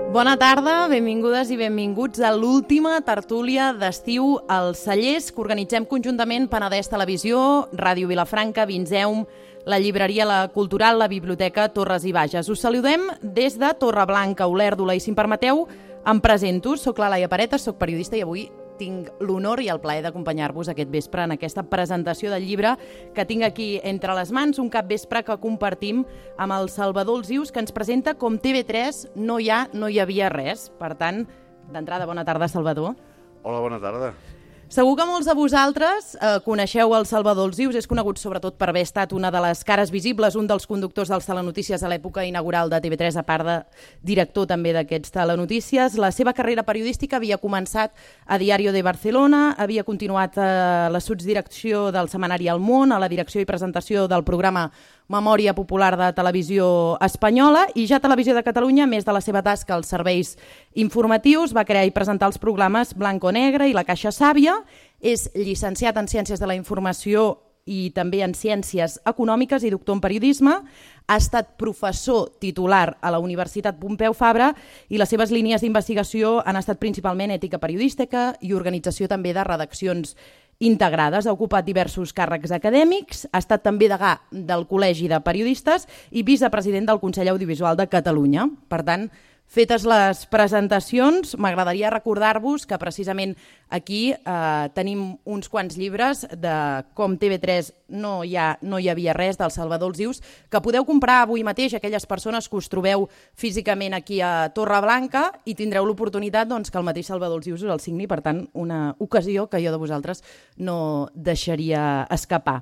Bona tarda, benvingudes i benvinguts a l'última tertúlia d'estiu als Cellers que organitzem conjuntament Penedès Televisió, Ràdio Vilafranca, Vinzeum, la llibreria La Cultural, la Biblioteca Torres i Bages. Us saludem des de Torreblanca, Olèrdola, i si em permeteu, em presento. Soc la Laia Paretas, soc periodista i avui tinc l'honor i el plaer d'acompanyar-vos aquest vespre en aquesta presentació del llibre que tinc aquí entre les mans, un capvespre que compartim amb el Salvador Alsius, que ens presenta com TV3 no hi havia res. Per tant, d'entrada, bona tarda, Salvador. Hola, bona tarda. Segur que molts de vosaltres coneixeu el Salvador Alsius, és conegut sobretot per haver estat una de les cares visibles, un dels conductors dels telenotícies a l'època inaugural de TV3, a part de director també d'aquests telenotícies. La seva carrera periodística havia començat a Diario de Barcelona, havia continuat a la sotsdirecció del setmanari El Món, a la direcció i presentació del programa Memòria Popular de Televisió Espanyola, i ja Televisió de Catalunya, a més de la seva tasca als serveis informatius, va crear i presentar els programes Blanco Negre i La Caixa Sàvia. És llicenciat en Ciències de la Informació i també en Ciències Econòmiques i doctor en Periodisme. Ha estat professor titular a la Universitat Pompeu Fabra i les seves línies d'investigació han estat principalment ètica periodística i organització també de redaccions integrades. Ha ocupat diversos càrrecs acadèmics, ha estat també degà del Col·legi de Periodistes i vicepresident del Consell Audiovisual de Catalunya. Per tant, fetes les presentacions, m'agradaria recordar-vos que precisament aquí tenim uns quants llibres de com TV3 no hi havia res, del Salvador Alsius, que podeu comprar avui mateix aquelles persones que us trobeu físicament aquí a Torreblanca, i tindreu l'oportunitat que el mateix Salvador Alsius us el signi. Per tant, una ocasió que jo de vosaltres no deixaria escapar.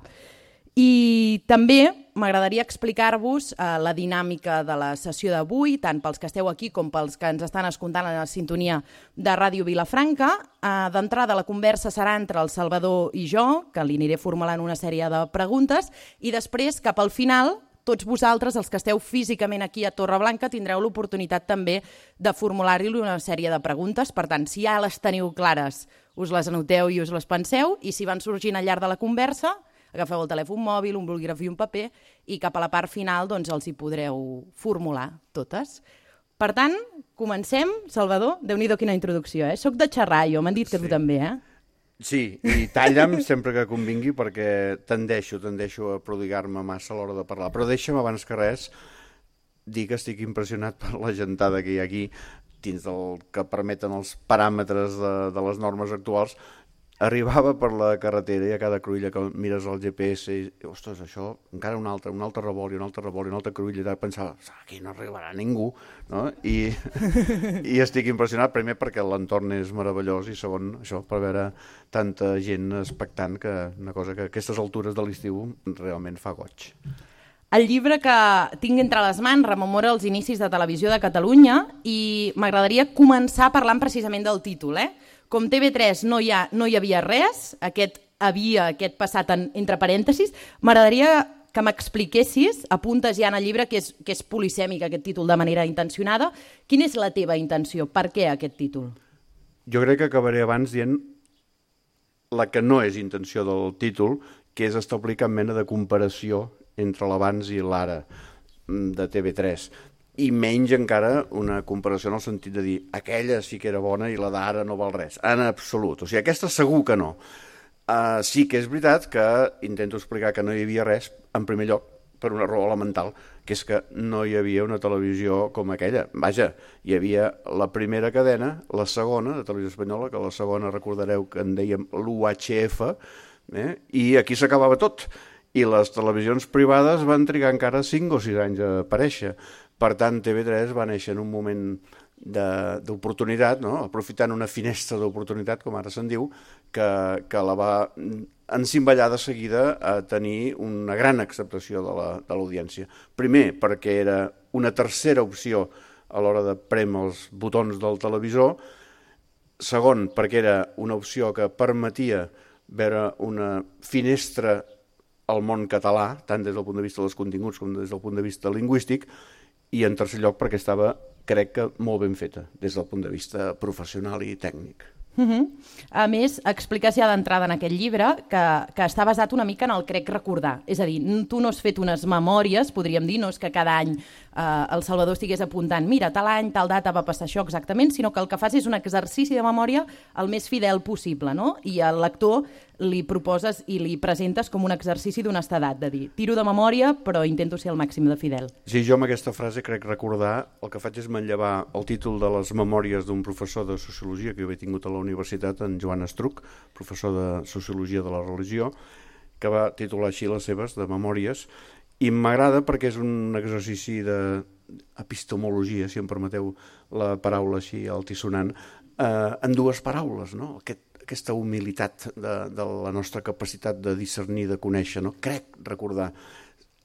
I també m'agradaria explicar-vos la dinàmica de la sessió d'avui, tant pels que esteu aquí com pels que ens estan escoltant a la sintonia de Ràdio Vilafranca. D'entrada, la conversa serà entre el Salvador i jo, que li aniré formulant una sèrie de preguntes, i després, cap al final, tots vosaltres, els que esteu físicament aquí a Torreblanca, tindreu l'oportunitat també de formular-li una sèrie de preguntes. Per tant, si ja les teniu clares, us les anoteu i us les penseu, i si van sorgint al llarg de la conversa, agafeu el telèfon mòbil, un bolígraf i un paper, i cap a la part final els hi podreu formular totes. Per tant, comencem. Salvador, Déu-n'hi-do quina introducció, Soc de xerrar, jo, m'han dit que tu també, Sí, i talla'm sempre que convingui, perquè tendeixo a prodigar-me massa a l'hora de parlar. Però deixa'm, abans que res, dir que estic impressionat per la gentada que hi ha aquí, dins del que permeten els paràmetres de les normes actuals. Arribava per la carretera i a cada cruïlla que mires el GPS i, ostres, això, encara un altre revolt i un altre cruïlla, i pensava, aquí no arribarà ningú, no? I estic impressionat, primer perquè l'entorn és meravellós, i segon, això, per veure tanta gent expectant, que una cosa que a aquestes altures de l'estiu realment fa goig. El llibre que tinc entre les mans rememora els inicis de Televisió de Catalunya, i m'agradaria començar parlant precisament del títol, Com TV3 no hi havia res, aquest passat entre parèntesis. M'agradaria que m'expliquessis, apuntes ja en el llibre que és polisèmic aquest títol de manera intencionada. Quina és la teva intenció? Per què aquest títol? Jo crec que acabaré abans dient la que no és intenció del títol, que és establir cap mena de comparació entre l'abans i l'ara de TV3. I menys encara una comparació en el sentit de dir aquella sí que era bona i la d'ara no val res. En absolut. O sigui, aquesta segur que no. Sí que és veritat que intento explicar que no hi havia res, en primer lloc, per una raó elemental, que és que no hi havia una televisió com aquella. Vaja, hi havia la primera cadena, la segona, de Televisió Espanyola, que la segona recordareu que en dèiem l'UHF, i aquí s'acabava tot. I les televisions privades van trigar encara 5 o 6 anys a aparèixer. Per tant, TV3 va néixer en un moment d'oportunitat, aprofitant una finestra d'oportunitat, com ara se'n diu, que la va encimballar de seguida a tenir una gran acceptació de l'audiència. Primer, perquè era una tercera opció a l'hora de prémer els botons del televisor. Segon, perquè era una opció que permetia veure una finestra al món català, tant des del punt de vista dels continguts com des del punt de vista lingüístic. I en tercer lloc perquè estava, crec que, molt ben feta des del punt de vista professional i tècnic. A més, expliques ja d'entrada en aquest llibre que està basat una mica en el crec recordar. És a dir, tu no has fet unes memòries, podríem dir, no és que cada any el Salvador estigués apuntant, mira, tal any, tal data va passar això exactament, sinó que el que fas és un exercici de memòria el més fidel possible, no? I al lector li proposes i li presentes com un exercici d'honestedat, de dir, tiro de memòria, però intento ser el màxim de fidel. Sí, jo amb aquesta frase crec recordar, el que faig és manllevar el títol de les memòries d'un professor de Sociologia que jo he tingut a la universitat, en Joan Estruc, professor de Sociologia de la Religió, que va titular així les seves, de memòries, i m'agrada perquè és un exercici d'epistemologia, si em permeteu la paraula així altisonant, en dues paraules, no? Aquesta humilitat de la nostra capacitat de discernir, de conèixer, no? Crec recordar,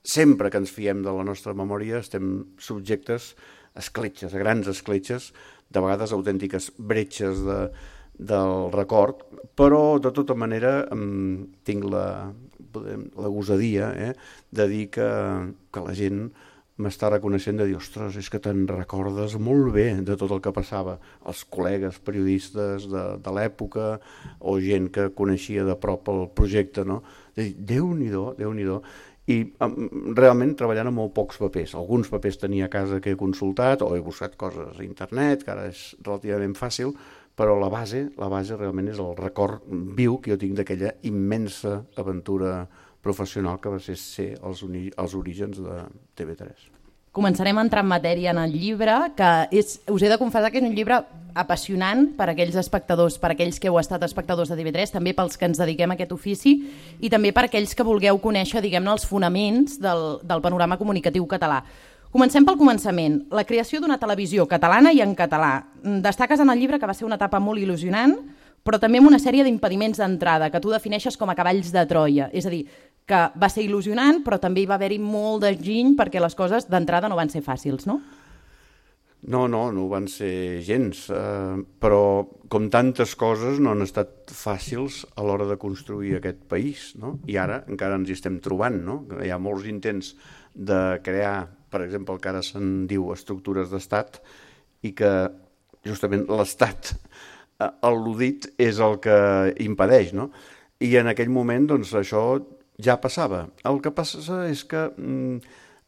sempre que ens fiem de la nostra memòria estem subjectes a escletxes, a grans escletxes, de vegades autèntiques bretxes del record, però de tota manera tinc la gosadia de dir que la gent m'està reconeixent, de dir, ostres, és que te'n recordes molt bé de tot el que passava, els col·legues periodistes de l'època o gent que coneixia de prop el projecte, no? De dir, Déu-n'hi-do, Déu-n'hi-do. I realment treballant amb molt pocs papers. Alguns papers tenia a casa que he consultat o he buscat coses a internet, que ara és relativament fàcil, però la base realment és el record viu que jo tinc d'aquella immensa aventura professional que va ser els orígens de TV3. Començarem a entrar en matèria en el llibre, que us he de confessar que és un llibre apassionant per a aquells espectadors, per a aquells que heu estat espectadors de TV3, també pels que ens dediquem a aquest ofici i també per a aquells que vulgueu conèixer, diguem-ne, els fonaments del panorama comunicatiu català. Comencem pel començament. La creació d'una televisió catalana i en català. Destaques en el llibre que va ser una etapa molt il·lusionant, però també amb una sèrie d'impediments d'entrada, que tu defineixes com a cavalls de Troia. És a dir, que va ser il·lusionant, però també hi va haver-hi molt d'enginy perquè les coses d'entrada no van ser fàcils, no? No ho van ser gens, però com tantes coses no han estat fàcils a l'hora de construir aquest país, no? I ara encara ens hi estem trobant, no? Hi ha molts intents de crear, per exemple, el que ara se'n diu estructures d'estat, i que justament l'estat al·ludit és el que impedeix, no? I en aquell moment, doncs, això ja passava. El que passa és que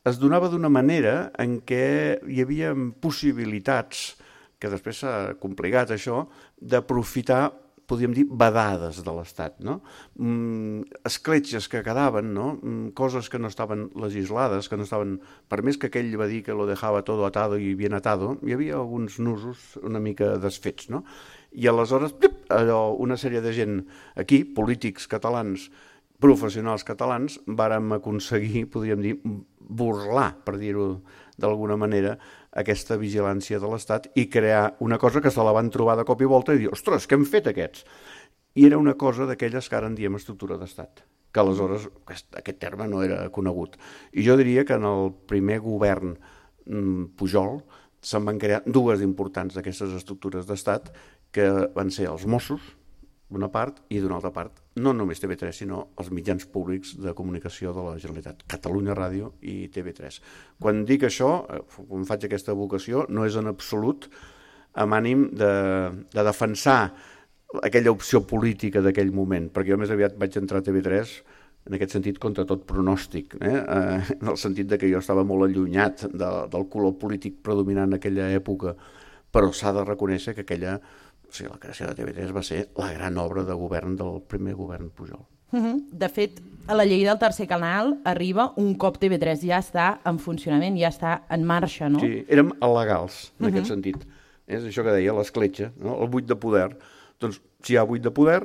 es donava d'una manera en què hi havia possibilitats, que després s'ha complicat això, d'aprofitar, podríem dir, vedades de l'Estat, no? Escletxes que quedaven, no? Coses que no estaven legislades, que no estaven... Per més que aquell va dir que lo dejaba todo atado y bien atado, hi havia alguns nusos una mica desfets, no? I aleshores, una sèrie de gent aquí, polítics catalans, professionals catalans, vàrem aconseguir, podríem dir, burlar, per dir-ho d'alguna manera, aquesta vigilància de l'Estat i crear una cosa que se la van trobar de cop i volta i dir, ostres, què han fet aquests? I era una cosa d'aquelles que ara en diem estructura d'Estat, que aleshores aquest terme no era conegut. I jo diria que en el primer govern Pujol se'n van crear dues importants d'aquestes estructures d'Estat, que van ser els Mossos, d'una part, i d'una altra part, no només TV3, sinó els mitjans públics de comunicació de la Generalitat, Catalunya Ràdio i TV3. Quan dic això, quan faig aquesta vocació, no és en absolut amb ànim de defensar aquella opció política d'aquell moment, perquè jo més aviat vaig entrar a TV3 en aquest sentit contra tot pronòstic, en el sentit de que jo estava molt allunyat del color polític predominant en aquella època, però s'ha de reconèixer que la creació de TV3 va ser la gran obra de govern del primer govern Pujol. De fet, a la llei del tercer canal arriba un cop TV3 ja està en funcionament, ja està en marxa, no? Sí, érem il·legals en aquest sentit. És això que deia, l'escletxa, no? El buit de poder. Doncs si hi ha buit de poder,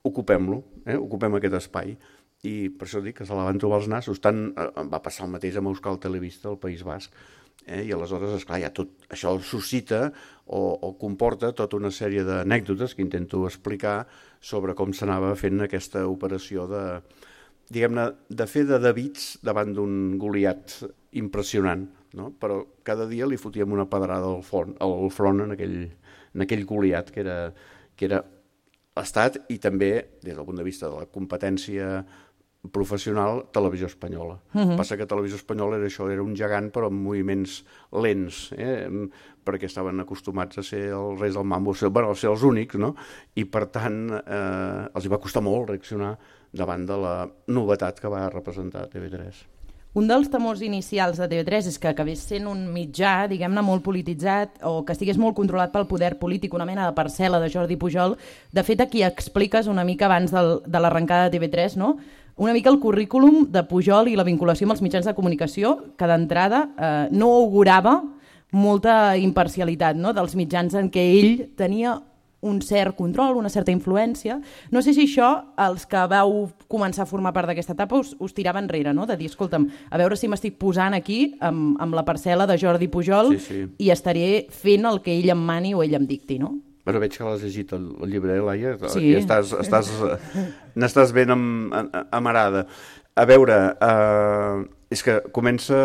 ocupem-lo, ocupem aquest espai. I per això dic que se la van trobar els nassos. Va passar el mateix amb Euskal Telebista al País Basc. I aleshores, esclar, ja tot això suscita o comporta tota una sèrie d'anècdotes que intento explicar sobre com s'anava fent aquesta operació diguem-ne, de fer de Davids davant d'un Goliat impressionant, no? Però cada dia li fotíem una pedrada al front en aquell Goliat que era l'Estat i també, des del punt de vista de la competència professional, Televisió Espanyola. Passa que Televisió Espanyola era un gegant però amb moviments lents, perquè estaven acostumats a ser els reis del mambo, a ser els únics, no? I per tant els hi va costar molt reaccionar davant de la novetat que va representar TV3. Un dels temors inicials de TV3 és que acabés sent un mitjà, diguem-ne, molt polititzat o que estigués molt controlat pel poder polític, una mena de parcel·la de Jordi Pujol. De fet, aquí expliques una mica abans de l'arrencada de TV3, no? Una mica el currículum de Pujol i la vinculació amb els mitjans de comunicació, que d'entrada no augurava molta imparcialitat, no?, dels mitjans en què ell tenia un cert control, una certa influència. No sé si això, els que vau començar a formar part d'aquesta etapa, us tirava enrere, no?, de dir, escolta'm, a veure si m'estic posant aquí amb la parcel·la de Jordi Pujol i estaré fent el que ell em mani o ell em dicti, no? Però veig que l'has llegit el llibre, Laia, sí. I n'estàs ben amarada. A veure, és que comença...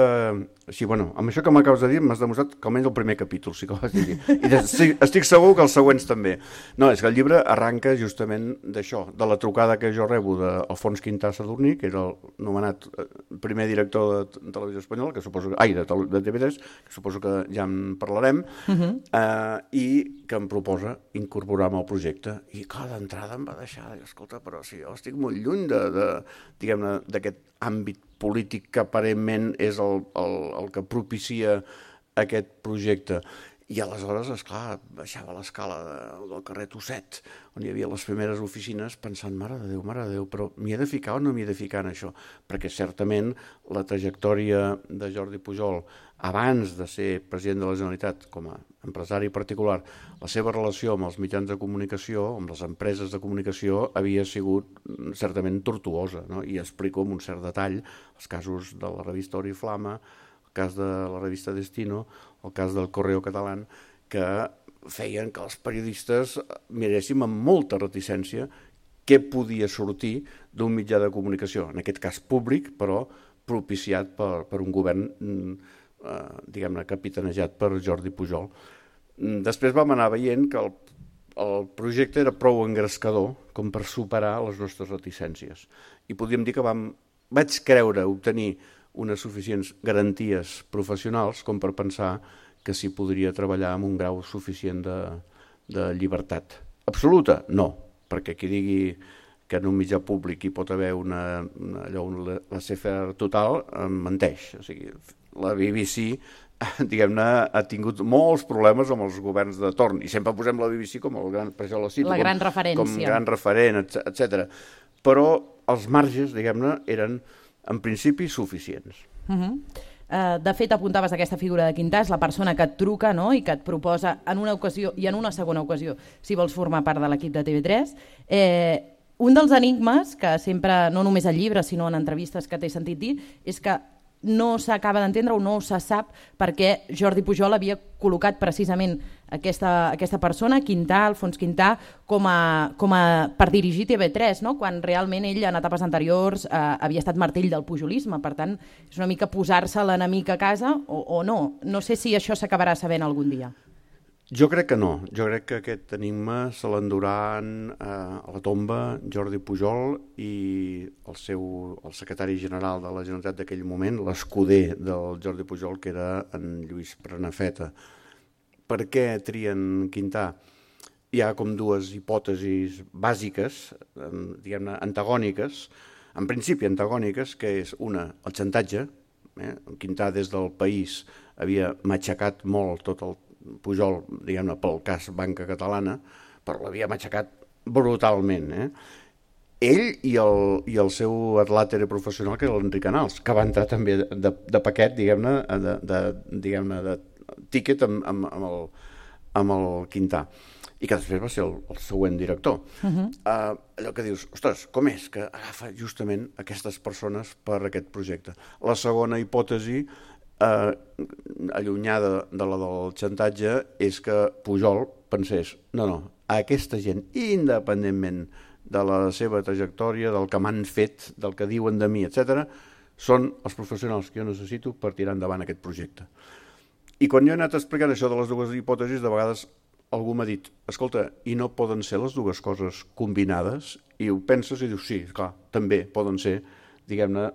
Així, bueno, amb això que m'acabes de dir m'has demostrat que almenys el primer capítol sí que ho vas dir. I estic segur que els següents també. No, és que el llibre arranca justament d'això, de la trucada que jo rebo d'Alfons Quintà Sadurní, que era el nomenat primer director de Televisió Espanyola, que suposo que, de TV3, que suposo que ja en parlarem, i que em proposa incorporar-me al projecte. I cada entrada em va deixar, escolta, però si jo estic molt lluny diguem-ne, d'aquest àmbit polític que aparentment és el que propicia aquest projecte. I aleshores, esclar, baixava l'escala del carrer Tosset, on hi havia les primeres oficines, pensant, mare de Déu, però m'hi he de ficar o no m'hi he de ficar en això? Perquè certament la trajectòria de Jordi Pujol, abans de ser president de la Generalitat, com a empresari particular, la seva relació amb els mitjans de comunicació, amb les empreses de comunicació, havia sigut certament tortuosa, no? I explico amb un cert detall els casos de la revista Oriflama, el cas de la revista Destino, el cas del Correo Catalán, que feien que els periodistes miréssim amb molta reticència què podia sortir d'un mitjà de comunicació, en aquest cas públic, però propiciat per un govern, diguem-ne, capitanejat per Jordi Pujol. Després vam anar veient que el projecte era prou engrescador com per superar les nostres reticències. I podríem dir que vaig creure obtenir unes suficients garanties professionals com per pensar que s'hi podria treballar amb un grau suficient de llibertat. Absoluta? No, perquè qui digui que en un mitjà públic hi pot haver una laissez-faire total, menteix. O sigui, la BBC, diguem-ne, ha tingut molts problemes amb els governs de torn, i sempre posem la BBC com el gran, per això la cito, la gran referència. Com gran referent, etc. Però els marges, diguem-ne, eren en principi suficients. De fet, apuntaves aquesta figura de Quintà, és la persona que et truca, no?, i que et proposa en una ocasió i en una segona ocasió si vols formar part de l'equip de TV3. Un dels enigmes que sempre, no només al llibre sinó en entrevistes que t'he sentit dir, és que no s'acaba d'entendre o no se sap per què Jordi Pujol havia col·locat precisament aquesta persona, Quintà, Alfons Quintà, per dirigir TV3, no?, quan realment ell en etapes anteriors havia estat martell del pujolisme. Per tant, és una mica posar-se l'enemic a casa o no. No sé si això s'acabarà sabent algun dia. Jo crec que no. Jo crec que aquest enigma se l'enduran a la tomba Jordi Pujol i el secretari general de la Generalitat d'aquell moment, l'escuder del Jordi Pujol, que era en Lluís Prenafeta. Per què trien Quintà? Hi ha com dues hipòtesis bàsiques, diguem-ne, antagòniques, en principi antagòniques, que és una, el xantatge. Quintà des del País havia matxacat molt tot el Pujol, diguem-ne, pel cas Banca Catalana, però l'havia matxacat brutalment. Ell i el seu atlàtere professional, que era l'Enric Canals, que va entrar també de paquet, diguem-ne, de tíquet amb el Quintà, i que després va ser el següent director. Allò que dius, ostres, com és que agafa justament aquestes persones per aquest projecte? La segona hipòtesi, allunyada de la del xantatge, és que Pujol pensés, no, aquesta gent, independentment de la seva trajectòria, del que m'han fet, del que diuen de mi, etc., són els professionals que jo necessito per tirar endavant aquest projecte. I quan jo he anat explicant això de les dues hipòtesis, de vegades algú m'ha dit, escolta, i no poden ser les dues coses combinades? I ho penses i dius, sí, clar, també poden ser, diguem-ne,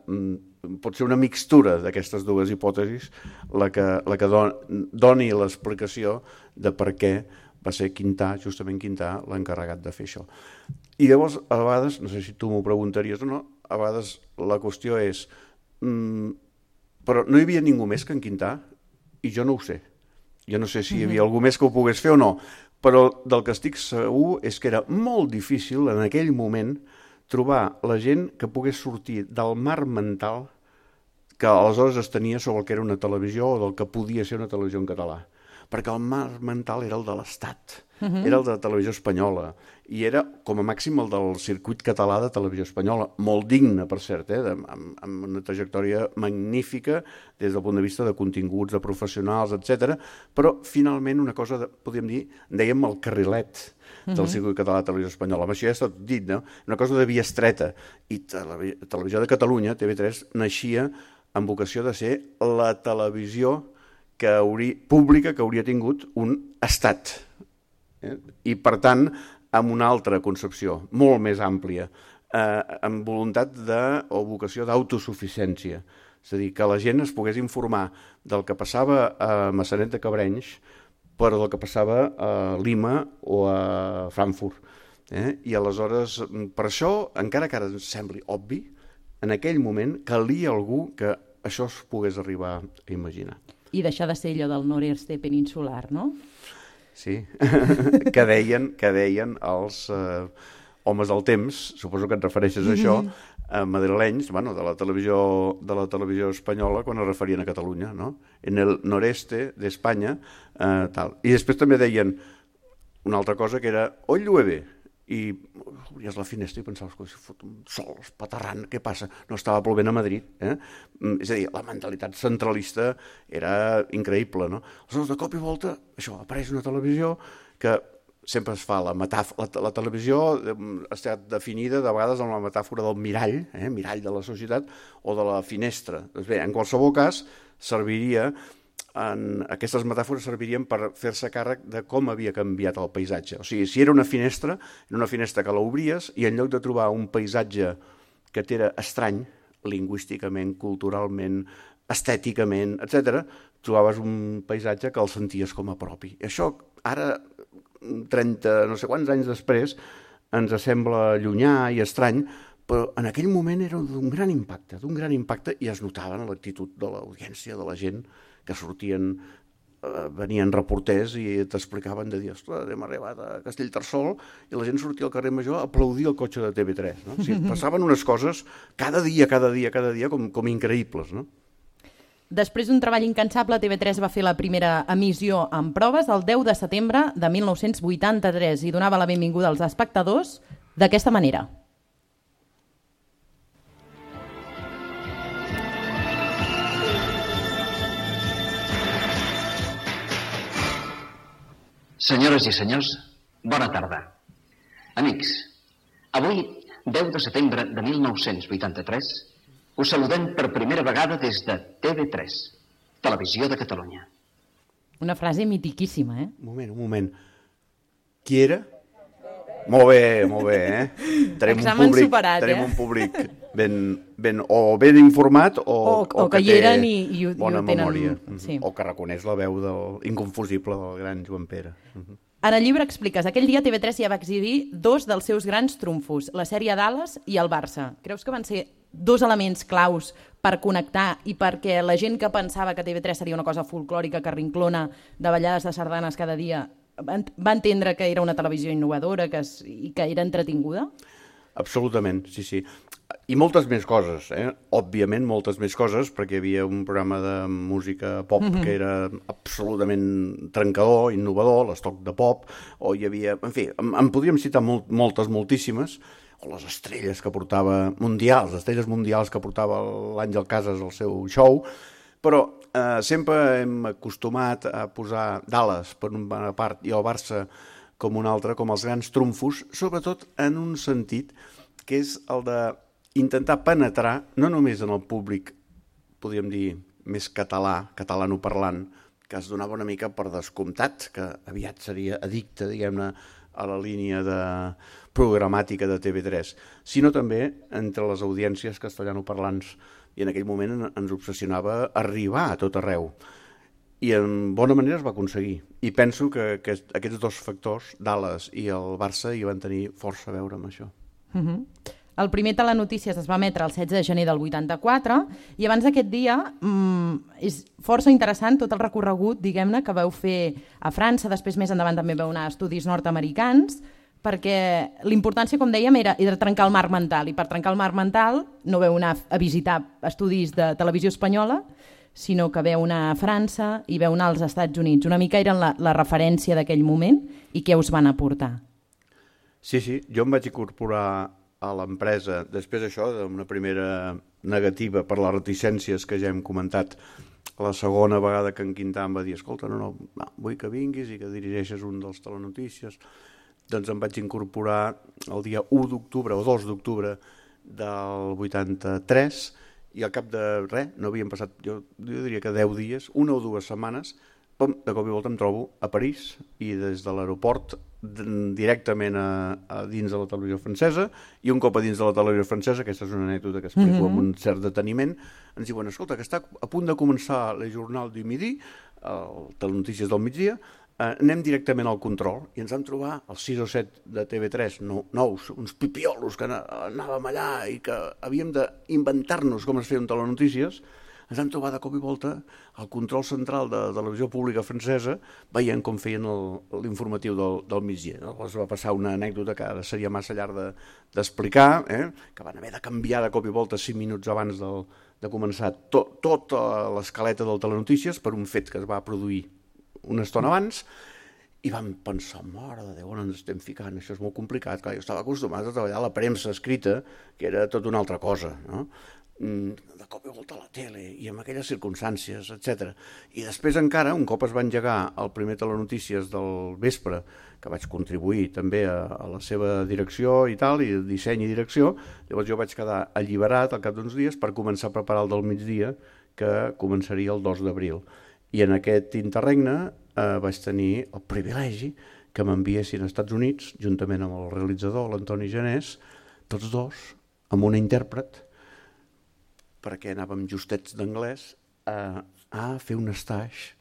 pot ser una mixtura d'aquestes dues hipòtesis la que doni l'explicació de per què va ser Quintà, justament Quintà, l'encarregat de fer això. I llavors, a vegades, no sé si tu m'ho preguntaries o no, a vegades la qüestió és però no hi havia ningú més que en Quintà, i jo no ho sé. Jo no sé si hi havia algú més que ho pogués fer o no, però del que estic segur és que era molt difícil en aquell moment trobar la gent que pogués sortir del mar mental que aleshores es tenia sobre el que era una televisió o del que podia ser una televisió en català. Perquè el mar mental era el de l'Estat, era el de la televisió espanyola, i era, com a màxim, el del circuit català de televisió espanyola, molt digne, per cert, amb una trajectòria magnífica des del punt de vista de continguts, de professionals, etc. Però, finalment, una cosa, podríem dir, dèiem el carrilet del circuit català de televisió espanyola. Amb això ja està dit, no? Una cosa de via estreta. I Televisió de Catalunya, TV3, naixia amb vocació de ser la televisió pública que hauria tingut un estat. I, per tant, amb una altra concepció, molt més àmplia, amb voluntat o vocació d'autosuficiència. És a dir, que la gent es pogués informar del que passava a Maçanet de Cabrenys, però del que passava a Lima o a Frankfurt. I aleshores, per això, encara que ara ens sembli obvi, en aquell moment calia algú que això es pogués arribar a imaginar. I deixar de ser allò del nord-est peninsular, no? Sí, que deien els homes del temps, suposo que et refereixes a això, madrilenys, de la televisió espanyola, quan es referien a Catalunya, no? En el noreste d'Espanya, tal. I després també deien una altra cosa que era, hoy llueve, i obries la finestra i pensaves que si fot un sol espaterrant, què passa? No estava plovent a Madrid. És a dir, la mentalitat centralista era increïble, no? Aleshores, de cop i volta, això, apareix una televisió que sempre es fa la televisió ha estat definida de vegades amb la metàfora del mirall, mirall de la societat, o de la finestra. Doncs bé, en qualsevol cas, aquestes metàfores servirien per fer-se càrrec de com havia canviat el paisatge. O sigui, si era una finestra que l'obries i en lloc de trobar un paisatge que t'era estrany, lingüísticament, culturalment, estèticament, etc., trobaves un paisatge que el senties com a propi. I això, ara, 30, no sé quants anys després, ens sembla llunyà i estrany, però en aquell moment era d'un gran impacte, i es notava en l'actitud de l'audiència, de la gent, que venien reporters i t'explicaven de dir, ostres, hem arribat a Castellterçol, i la gent sortia al carrer Major a aplaudir el cotxe de TV3. No? O sigui, passaven unes coses cada dia, com increïbles. No? Després d'un treball incansable, TV3 va fer la primera emissió en proves el 10 de setembre de 1983 i donava la benvinguda als espectadors d'aquesta manera. Senyores i senyors, bona tarda. Amics, avui, 10 de setembre de 1983, us saludem per primera vegada des de TV3, Televisió de Catalunya. Una frase mitiquíssima, Un moment. Qui era? Molt bé, Examen superat, Tenim un públic ben informat o que hi eren i ho bona tenen. Memòria, Sí. o que reconeix la veu inconfusible del gran Joan Pere. En el llibre expliques, aquell dia TV3 ja va exhibir dos dels seus grans trumfos, la sèrie Dallas i el Barça. Creus que van ser dos elements claus per connectar i perquè la gent que pensava que TV3 seria una cosa folclòrica que rinclona de ballades de sardanes cada dia va entendre que era una televisió innovadora i que era entretinguda? Absolutament, sí. I moltes més coses, òbviament moltes més coses, perquè hi havia un programa de música pop que era absolutament trencador, innovador, l'estoc de pop, o hi havia... En fi, en podríem citar moltíssimes, o les estrelles que portava mundials, les estrelles mundials que portava l'Àngel Casas al seu show, però sempre hem acostumat a posar Dallas per una part i el Barça com una altra, com els grans trumfos, sobretot en un sentit que és el d'intentar penetrar no només en el públic, podríem dir, més catalanoparlant, que es donava una mica per descomptat, que aviat seria addicte, diguem-ne, a la línia programàtica de TV3, sinó també entre les audiències castellanoparlants. I en aquell moment ens obsessionava arribar a tot arreu. I en bona manera es va aconseguir. I penso que aquests dos factors, Dallas i el Barça, hi van tenir força a veure amb això. El primer Telenotícies es va emetre el 16 de gener del 84 i abans d'aquest dia és força interessant tot el recorregut, diguem-ne, que vau fer a França, després més endavant també vau anar a estudis nord-americans, perquè l'importància, com dèiem, era trencar el marc mental, i per trencar el marc mental no vau anar a visitar estudis de televisió espanyola, sinó que veu anar a França i veu anar als Estats Units. Una mica eren la referència d'aquell moment i què us van aportar. Sí, jo em vaig incorporar a l'empresa després d'això, d'una primera negativa per les reticències que ja hem comentat. La segona vegada que en Quintà em va dir escolta, no, vull que vinguis i que dirigeixes un dels Telenotícies. Doncs em vaig incorporar el dia 1 d'octubre o 2 d'octubre del 83 i al cap de res, no havien passat, jo diria que 10 dies, 1 o 2 setmanes, de cop i volta em trobo a París i des de l'aeroport directament a dins de la televisió francesa, i un cop a dins de la televisió francesa, aquesta és una anècdota que explico amb un cert deteniment, ens diuen, escolta, que està a punt de començar el Journal du Midi, el Telenotícies del migdia, anem directament al control, i ens vam trobar els 6 o 7 de TV3 nous, uns pipiolos que anàvem allà i que havíem d'inventar-nos com es feia un Telenotícies. Ens vam trobar de cop i volta al control central de la televisió pública francesa veient com feien l'informatiu del migdia. Llavors va passar una anècdota que ara seria massa llarg d'explicar, que van haver de canviar de cop i volta 5 minuts abans de començar tota l'escaleta del Telenotícies per un fet que es va produir una estona abans, i vam pensar, mare de Déu, on ens estem ficant? Això és molt complicat. Clar, jo estava acostumat a treballar a la premsa escrita, que era tot una altra cosa, no? De cop i volta a la tele i amb aquelles circumstàncies, etc. I després encara, un cop es va engegar el primer Telenotícies del vespre, que vaig contribuir també a la seva direcció i tal, i disseny i direcció, llavors jo vaig quedar alliberat al cap d'uns dies per començar a preparar el del migdia, que començaria el 2 d'abril. I en aquest interregne vaig tenir el privilegi que m'enviessin als Estats Units, juntament amb el realitzador, l'Antoni Janés, tots dos, amb una intèrpret, perquè anàvem justets d'anglès, a fer un stage.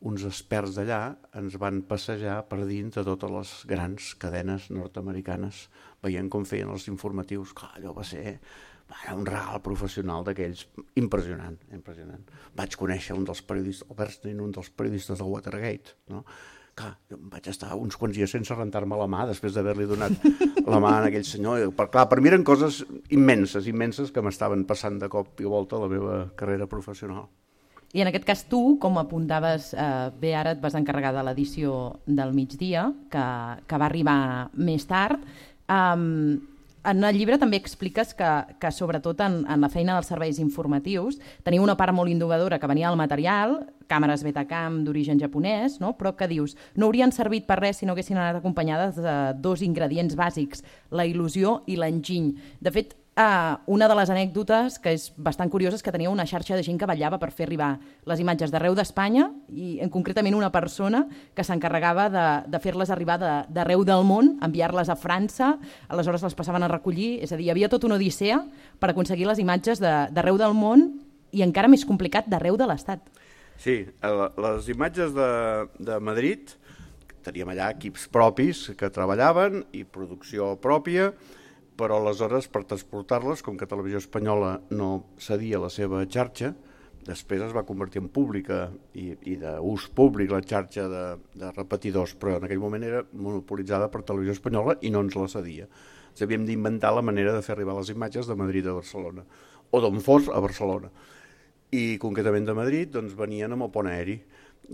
Uns experts d'allà ens van passejar per dins de totes les grans cadenes nord-americanes, veient com feien els informatius. Clar, allò va ser un regal professional d'aquells impressionant. Vaig conèixer un dels periodistes, el Bernstein, un dels periodistes del Watergate, no? Clar, jo vaig estar uns quants dies sense rentar-me la mà després d'haver-li donat la mà a aquell senyor. Per mi eren coses immenses que m'estaven passant de cop i volta a la meva carrera professional. I en aquest cas tu, com apuntaves bé ara, et vas encarregar de l'edició del migdia, que va arribar més tard. En el llibre també expliques que sobretot en la feina dels serveis informatius tenia una part molt innovadora que venia del material, càmeres Betacam d'origen japonès, no? Però que dius, no haurien servit per res si no haguessin anat acompanyades de 2 ingredients bàsics, la il·lusió i l'enginy. De fet, una de les anècdotes que és bastant curiosa és que tenia una xarxa de gent que vetllava per fer arribar les imatges d'arreu d'Espanya i concretament una persona que s'encarregava de fer-les arribar d'arreu del món, enviar-les a França, aleshores les passaven a recollir, és a dir, hi havia tota una odissea per aconseguir les imatges d'arreu del món i encara més complicat d'arreu de l'Estat. Sí, les imatges de Madrid, teníem allà equips propis que treballaven i producció pròpia, però aleshores per transportar-les, com que Televisió Espanyola no cedia la seva xarxa, després es va convertir en pública i d'ús públic la xarxa de repetidors, però en aquell moment era monopolitzada per Televisió Espanyola i no ens la cedia. Ens havíem d'inventar la manera de fer arribar les imatges de Madrid a Barcelona, o d'on fos a Barcelona. I concretament de Madrid doncs, venien amb el pont aeri.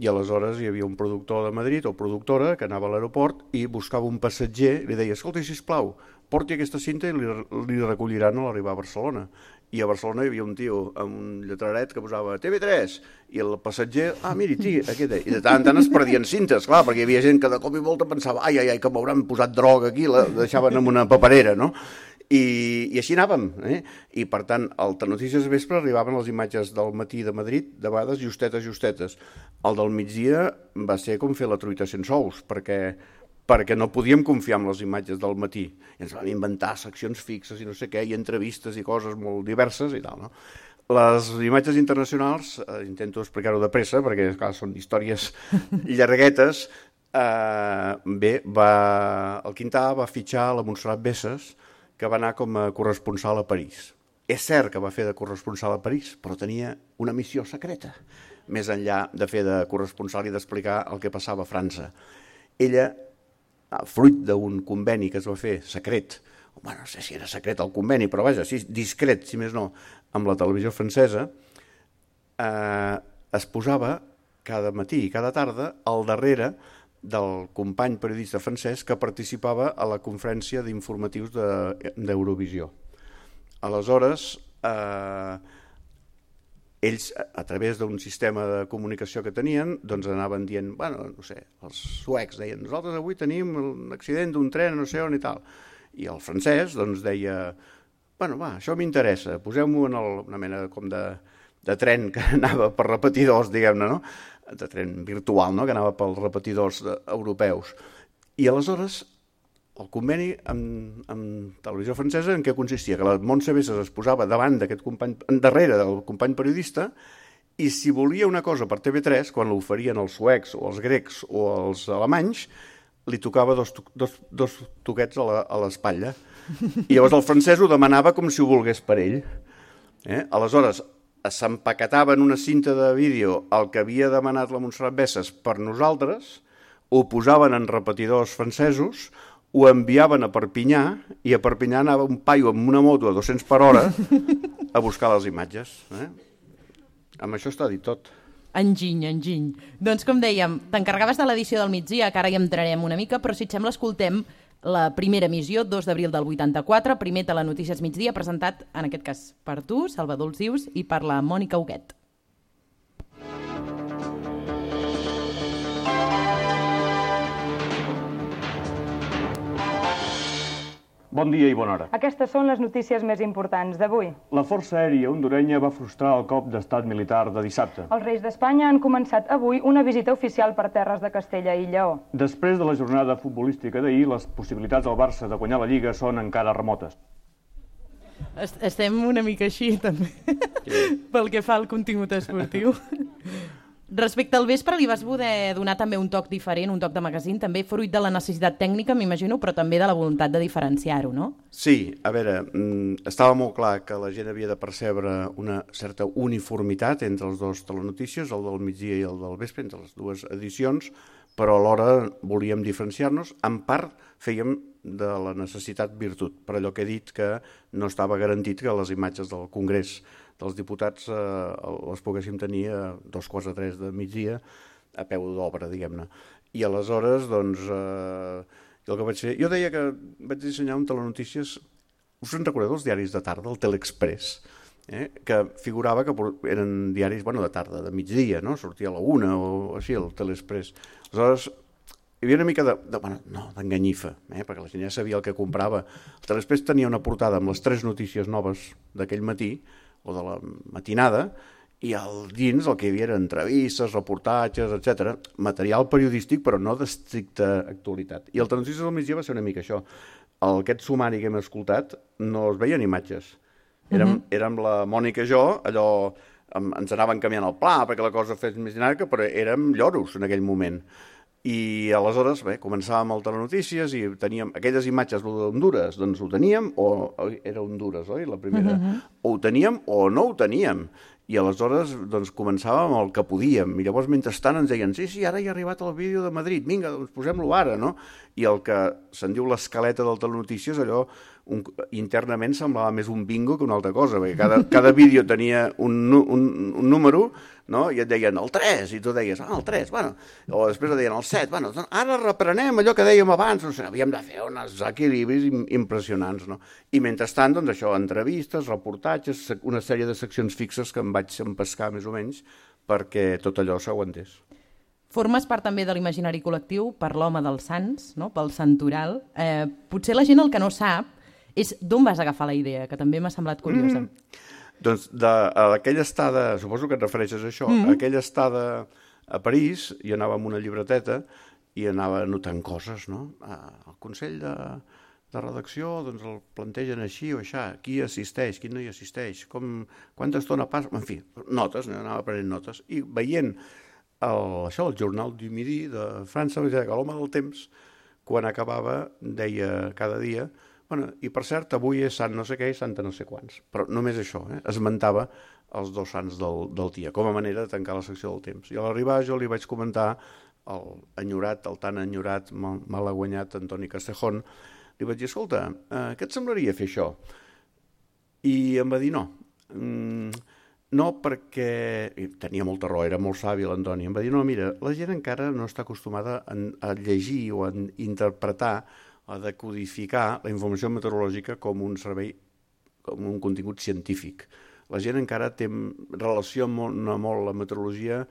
I aleshores hi havia un productor de Madrid o productora que anava a l'aeroport i buscava un passatger i li deia, escolta, sisplau, porti aquesta cinta i li recolliran a l'arribar a Barcelona. I a Barcelona hi havia un tio amb un lletraret que posava TV3 i el passatger, miri, aquest. I de tant en tant es perdien cintes, clar, perquè hi havia gent que de cop i volta pensava, ai, que m'hauran posat droga aquí, la deixaven en una paperera, no? I així anàvem, i per tant al Telenotícies de vespre arribaven les imatges del matí de Madrid, de vegades justetes. El del migdia va ser com fer la truita sense ous, perquè no podíem confiar en les imatges del matí. I ens vam inventar seccions fixes i no sé què, i entrevistes i coses molt diverses i tal, no? Les imatges internacionals, intento explicar-ho de pressa, perquè clar, són històries llarguetes. Bé, el Quintà va fitxar la Montserrat Bessas, que va anar com a corresponsal a París. És cert que va fer de corresponsal a París, però tenia una missió secreta, més enllà de fer de corresponsal i d'explicar el que passava a França. Ella, fruit d'un conveni que es va fer secret, bueno, no sé si era secret el conveni, però vaja, sí, discret, si més no, amb la televisió francesa, es posava cada matí i cada tarda al darrere del company periodista francès que participava a la conferència d'informatius d'Eurovisió. Aleshores, ells, a través d'un sistema de comunicació que tenien, doncs anaven dient, bueno, no sé, els suecs deien, nosaltres avui tenim un accident d'un tren, no sé on i tal. I el francès, doncs, deia, bueno, va, això m'interessa, poseu-m'ho en una mena com de tren que anava per repetidors, diguem-ne, no? De tren virtual, no? Que anava pels repetidors europeus. I aleshores, el conveni amb televisió francesa en què consistia? Que la Montse Besses es posava davant d'aquest company, darrere del company periodista, i si volia una cosa per TV3, quan l'oferien els suecs o els grecs o els alemanys, li tocava dos toquets a l'espatlla. I llavors el francès ho demanava com si ho volgués per ell. Aleshores, s'empaquetava en una cinta de vídeo el que havia demanat la Montserrat Besses per nosaltres, ho posaven en repetidors francesos, ho enviaven a Perpinyà, i a Perpinyà anava un paio amb una moto a 200 per hora a buscar les imatges. Amb això està dit tot. Enginy. Doncs com dèiem, t'encarregaves de l'edició del migdia, que ara hi entrarem una mica, però si et sembla escoltem la primera emissió, 2 d'abril del 84, primer Telenotícies migdia, presentat, en aquest cas, per tu, Salvador Olsius, i per la Mònica Huguet. Bon dia i bona hora. Aquestes són les notícies més importants d'avui. La Força Aèria hondurenya va frustrar el cop d'estat militar de dissabte. Els Reis d'Espanya han començat avui una visita oficial per terres de Castella i Lleó. Després de la jornada futbolística d'ahir, les possibilitats del Barça de guanyar la Lliga són encara remotes. Estem una mica així, també, pel que fa al contingut esportiu. Respecte al vespre, li vas poder donar també un toc diferent, un toc de magazín, també fruit de la necessitat tècnica, m'imagino, però també de la voluntat de diferenciar-ho, no? Sí, a veure, estava molt clar que la gent havia de percebre una certa uniformitat entre els dos telenotícies, el del migdia i el del vespre, entre les dues edicions, però alhora volíem diferenciar-nos. En part fèiem de la necessitat virtut, per allò que he dit que no estava garantit que les imatges del Congrés dels diputats les poguéssim tenir a 2:45 de migdia a peu d'obra, diguem-ne. I aleshores, doncs, el que vaig fer... Jo deia que vaig dissenyar un telenotícies... Us en recordeu dels diaris de tarda, el Telexpress, que figurava que eren diaris, bueno, de tarda, de migdia, no? Sortia a la 1 o així, el Telexpress. Aleshores, hi havia una mica d'enganyifa, perquè la gent ja sabia el que comprava. El Telexpress tenia una portada amb les 3 notícies noves d'aquell matí, o de la matinada, i al dins el que hi havia eren entrevistes, reportatges, etc. Material periodístic, però no d'estricta actualitat. I el Telenotícies del migdia va ser una mica això. Aquest sumari que hem escoltat no es veien imatges. Érem la Mònica i jo, allò ens anaven canviant el pla perquè la cosa fes més dinàmica, però érem lloros en aquell moment. I aleshores, bé, començàvem el Telenotícies i teníem aquelles imatges d'Hondures, doncs ho teníem, o era Hondures, oi, la primera? O ho teníem o no ho teníem. I aleshores doncs, començàvem el que podíem. I llavors, mentrestant, ens deien, sí, ara hi ha arribat el vídeo de Madrid, vinga, doncs posem-lo ara, no? I el que se'n diu l'escaleta del Telenotícies, allò internament semblava més un bingo que una altra cosa, perquè cada vídeo tenia un número, no? I et deien el 3, i tu deies, el 3, bueno, o després et deien el 7, bueno, ara reprenem allò que dèiem abans, no sé, havíem de fer uns equilibris impressionants, no? I mentrestant, doncs això, entrevistes, reportatges, una sèrie de seccions fixes que em vaig empescar més o menys perquè tot allò s'aguantés. Formes part també de l'imaginari col·lectiu per l'home dels Sants, no? Pel santoral. Potser la gent el que no sap és d'on vas agafar la idea, que també m'ha semblat curiosa. Doncs aquella estada, suposo que et refereixes a això, aquella estada a París, i anava amb una llibreteta i anava anotant coses, no? El Consell de redacció doncs el plantegen així o així, qui assisteix, qui no hi assisteix, quanta estona passa, en fi, notes, anava prenent notes, i veient el Journal du Midi de França, que l'home del temps, quan acabava, deia cada dia, Bueno, i per cert, avui és sant no sé què i santa no sé quants. Però només això, esmentava els dos sants del dia, com a manera de tancar la secció del temps. I a l'arribar jo li vaig comentar el tan enyorat, malaguanyat Antoni Castejón, li vaig dir, escolta, què et semblaria fer això? I em va dir no. No, perquè... I tenia molta raó, era molt savi l'Antoni. Em va dir, no, mira, la gent encara no està acostumada a llegir o a interpretar, a decodificar la informació meteorològica com un servei, com un contingut científic. La gent encara relaciona molt la meteorologia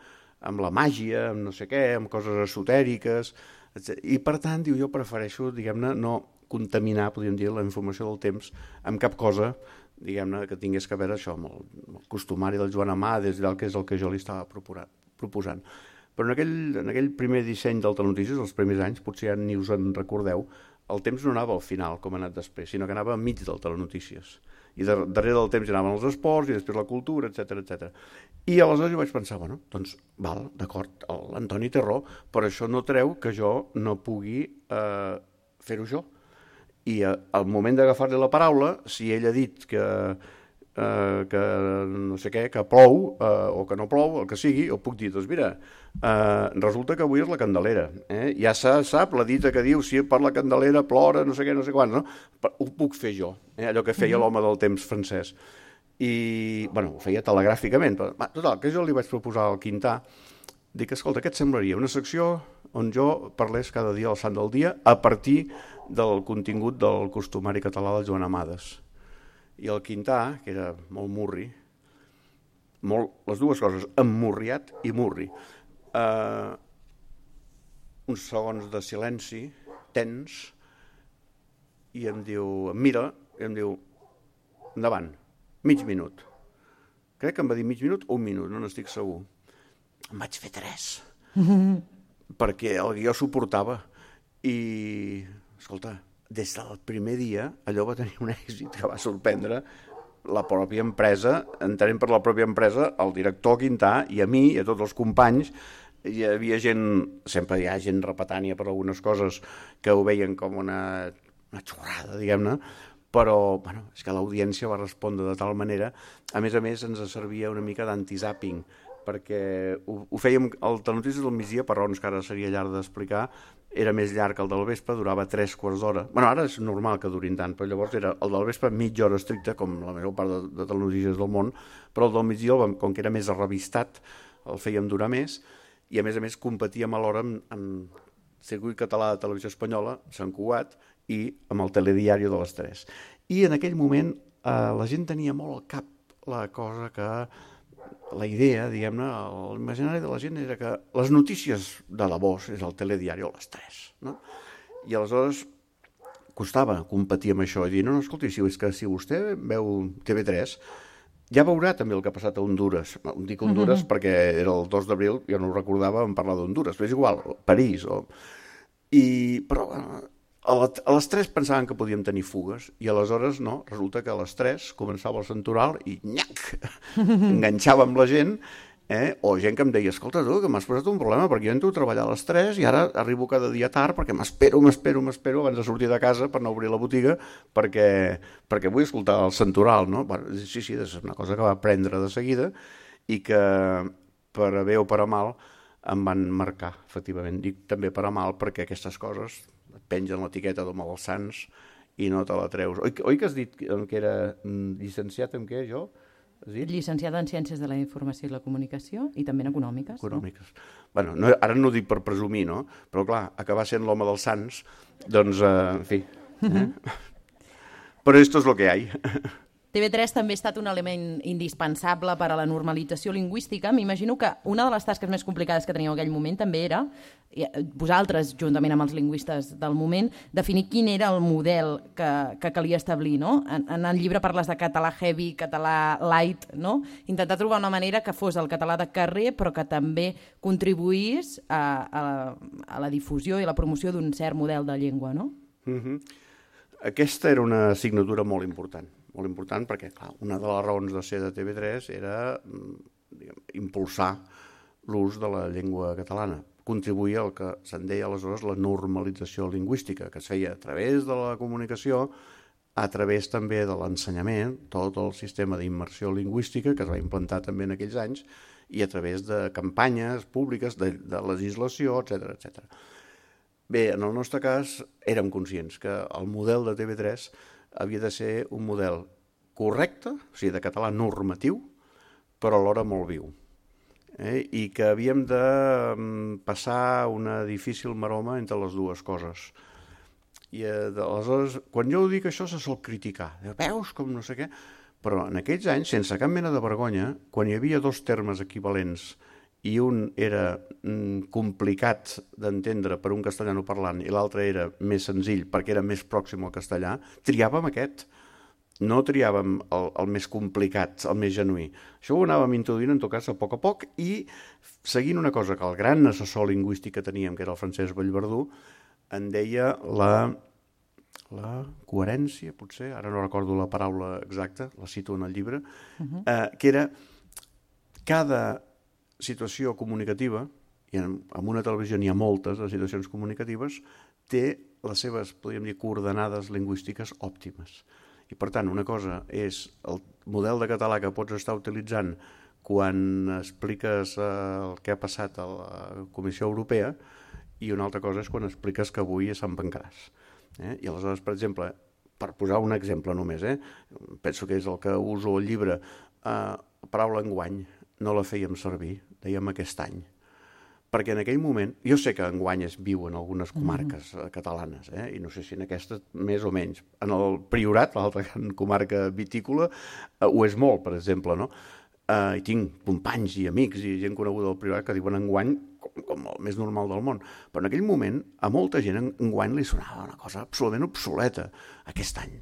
amb la màgia, amb no sé què, amb coses esotèriques, etc. I per tant, diu, jo prefereixo, diguem-ne, no contaminar, podríem dir, la informació del temps amb cap cosa, diguem-ne, que tingués que veure això, amb el costumari del Joan Amades, que és el que jo li estava proposant. Però en aquell primer disseny del Telenotícies, els primers anys, potser ja ni us en recordeu, el temps no anava al final, com ha anat després, sinó que anava enmig del Telenotícies. I darrere del temps hi anaven els esports i després la cultura, etc. I aleshores jo vaig pensar, bueno, doncs, val, d'acord, l'Antoni té raó, però això no treu que jo no pugui fer-ho jo. I al moment d'agafar-li la paraula, si ell ha dit que no sé què, que plou o que no plou, el que sigui, jo puc dir, doncs mira, resulta que avui és la Candelera, ja se sap la dita que diu si per la Candelera plora, no sé què, no sé quants, no? Ho puc fer jo, allò que feia l'home del temps francès. I, bueno, ho feia telegràficament, però, total, que jo li vaig proposar al Quintà, dic, escolta, què et semblaria? Una secció on jo parlés cada dia al sant del dia a partir del contingut del costumari català del Joan Amades. I el Quintà, que era molt murri, les dues coses, emmurriat i murri, uns segons de silenci, tens, i em diu, em mira, i em diu, endavant, mig minut. Crec que em va dir mig minut o un minut, no n'estic segur. Em vaig fer 3, perquè el guió suportava. I, escolta, des del primer dia allò va tenir un èxit que va sorprendre la pròpia empresa, entenent per la pròpia empresa, el director Quintà i a mi i a tots els companys. Hi havia gent, sempre hi ha gent repetània per algunes coses que ho veien com una xorrada, diguem-ne, però bueno, és que l'audiència va respondre de tal manera. A més, ens servia una mica d'anti-zapping, perquè ho fèiem, el Telenotícies del migdia, per raons que ara seria llarg d'explicar, era més llarg que el del vespre, durava 3/4 d'hora. Bueno, ara és normal que durin tant, però llavors era el del vespre mitja hora estricta, com la major part de Telenotícies del món, però el del migdia, com que era més arrevistat, el fèiem durar més, i a més competíem alhora amb Circuit Català de Televisió Espanyola, Sant Cugat, i amb el Telediario de les 3. I en aquell moment la gent tenia molt al cap la cosa que... La idea, diguem-ne, l'imaginari de la gent era que les notícies de la voz és el Telediario a les 3, no? I aleshores costava competir amb això i dir, no, escolti, si vostè veu TV3, ja veurà també el que ha passat a Honduras. Dic Honduras perquè era el 2 d'abril, jo no ho recordava, vam parlar d'Honduras, però és igual, París. Però a les 3 pensaven que podíem tenir fugues i aleshores no, resulta que a les 3 començava el santoral i nyac, enganxava amb la gent, o gent que em deia, escolta tu, que m'has posat un problema perquè jo entro a treballar a les 3 i ara arribo cada dia tard perquè m'espero abans de sortir de casa per no obrir la botiga perquè vull escoltar el santoral, no? Bueno, sí, és una cosa que va aprendre de seguida i que per a bé o per a mal em van marcar, efectivament. Dic també per a mal perquè aquestes coses et pengen l'etiqueta d'home dels sants i no te la treus. Oi que has dit que era llicenciat en què, jo? Llicenciat en Ciències de la Informació i la Comunicació i també en Econòmiques. Econòmiques. Bueno, ara no ho dic per presumir, no? Però clar, acabar sent l'home dels sants, doncs, en fi. Però esto es lo que hay. TV3 també ha estat un element indispensable per a la normalització lingüística. M'imagino que una de les tasques més complicades que teníeu en aquell moment també era, vosaltres, juntament amb els lingüistes del moment, definir quin era el model que calia establir, no? En el llibre parles de català heavy, català light, no? Intentar trobar una manera que fos el català de carrer, però que també contribuís a la difusió i la promoció d'un cert model de llengua, no? Aquesta era una assignatura molt important perquè, clar, una de les raons de ser de TV3 era impulsar l'ús de la llengua catalana, contribuir al que se'n deia aleshores la normalització lingüística, que es feia a través de la comunicació a través també de l'ensenyament, tot el sistema d'immersió lingüística que es va implantar també en aquells anys, i a través de campanyes públiques, de legislació, etc. Bé, en el nostre cas érem conscients que el model de TV3 havia de ser un model correcte, o sigui, de català normatiu, però alhora molt viu. I que havíem de passar una difícil maroma entre les dues coses. I aleshores, quan jo ho dic això, se sol criticar. Veus com no sé què? Però en aquells anys, sense cap mena de vergonya, quan hi havia dos termes equivalents i un era complicat d'entendre per un castellanoparlant i l'altre era més senzill perquè era més pròxim al castellà, triàvem aquest. No triàvem el més complicat, el més genuí. Això ho anàvem introduint, en tot cas, a poc, i seguint una cosa que el gran assessor lingüístic que teníem, que era el Francesc Vallverdú, en deia la coherència, potser, ara no recordo la paraula exacta, la cito en el llibre, que era cada situació comunicativa, i en una televisió n'hi ha moltes de situacions comunicatives, té les seves, podríem dir, coordenades lingüístiques òptimes. I per tant, una cosa és el model de català que pots estar utilitzant quan expliques el que ha passat a la Comissió Europea, i una altra cosa és quan expliques que avui a Sant Pancràs. I aleshores, per exemple, per posar un exemple només, penso que és el que uso al llibre, la paraula enguany no la fèiem servir, dèiem aquest any. Perquè en aquell moment, jo sé que enguany es viu en algunes comarques catalanes, i no sé si en aquesta més o menys. En el Priorat, l'altra comarca vitícola, ho és molt, per exemple, no? I tinc companys i amics i gent coneguda del Priorat que diuen enguany com el més normal del món. Però en aquell moment, a molta gent enguany li sonava una cosa absolutament obsoleta, aquest any,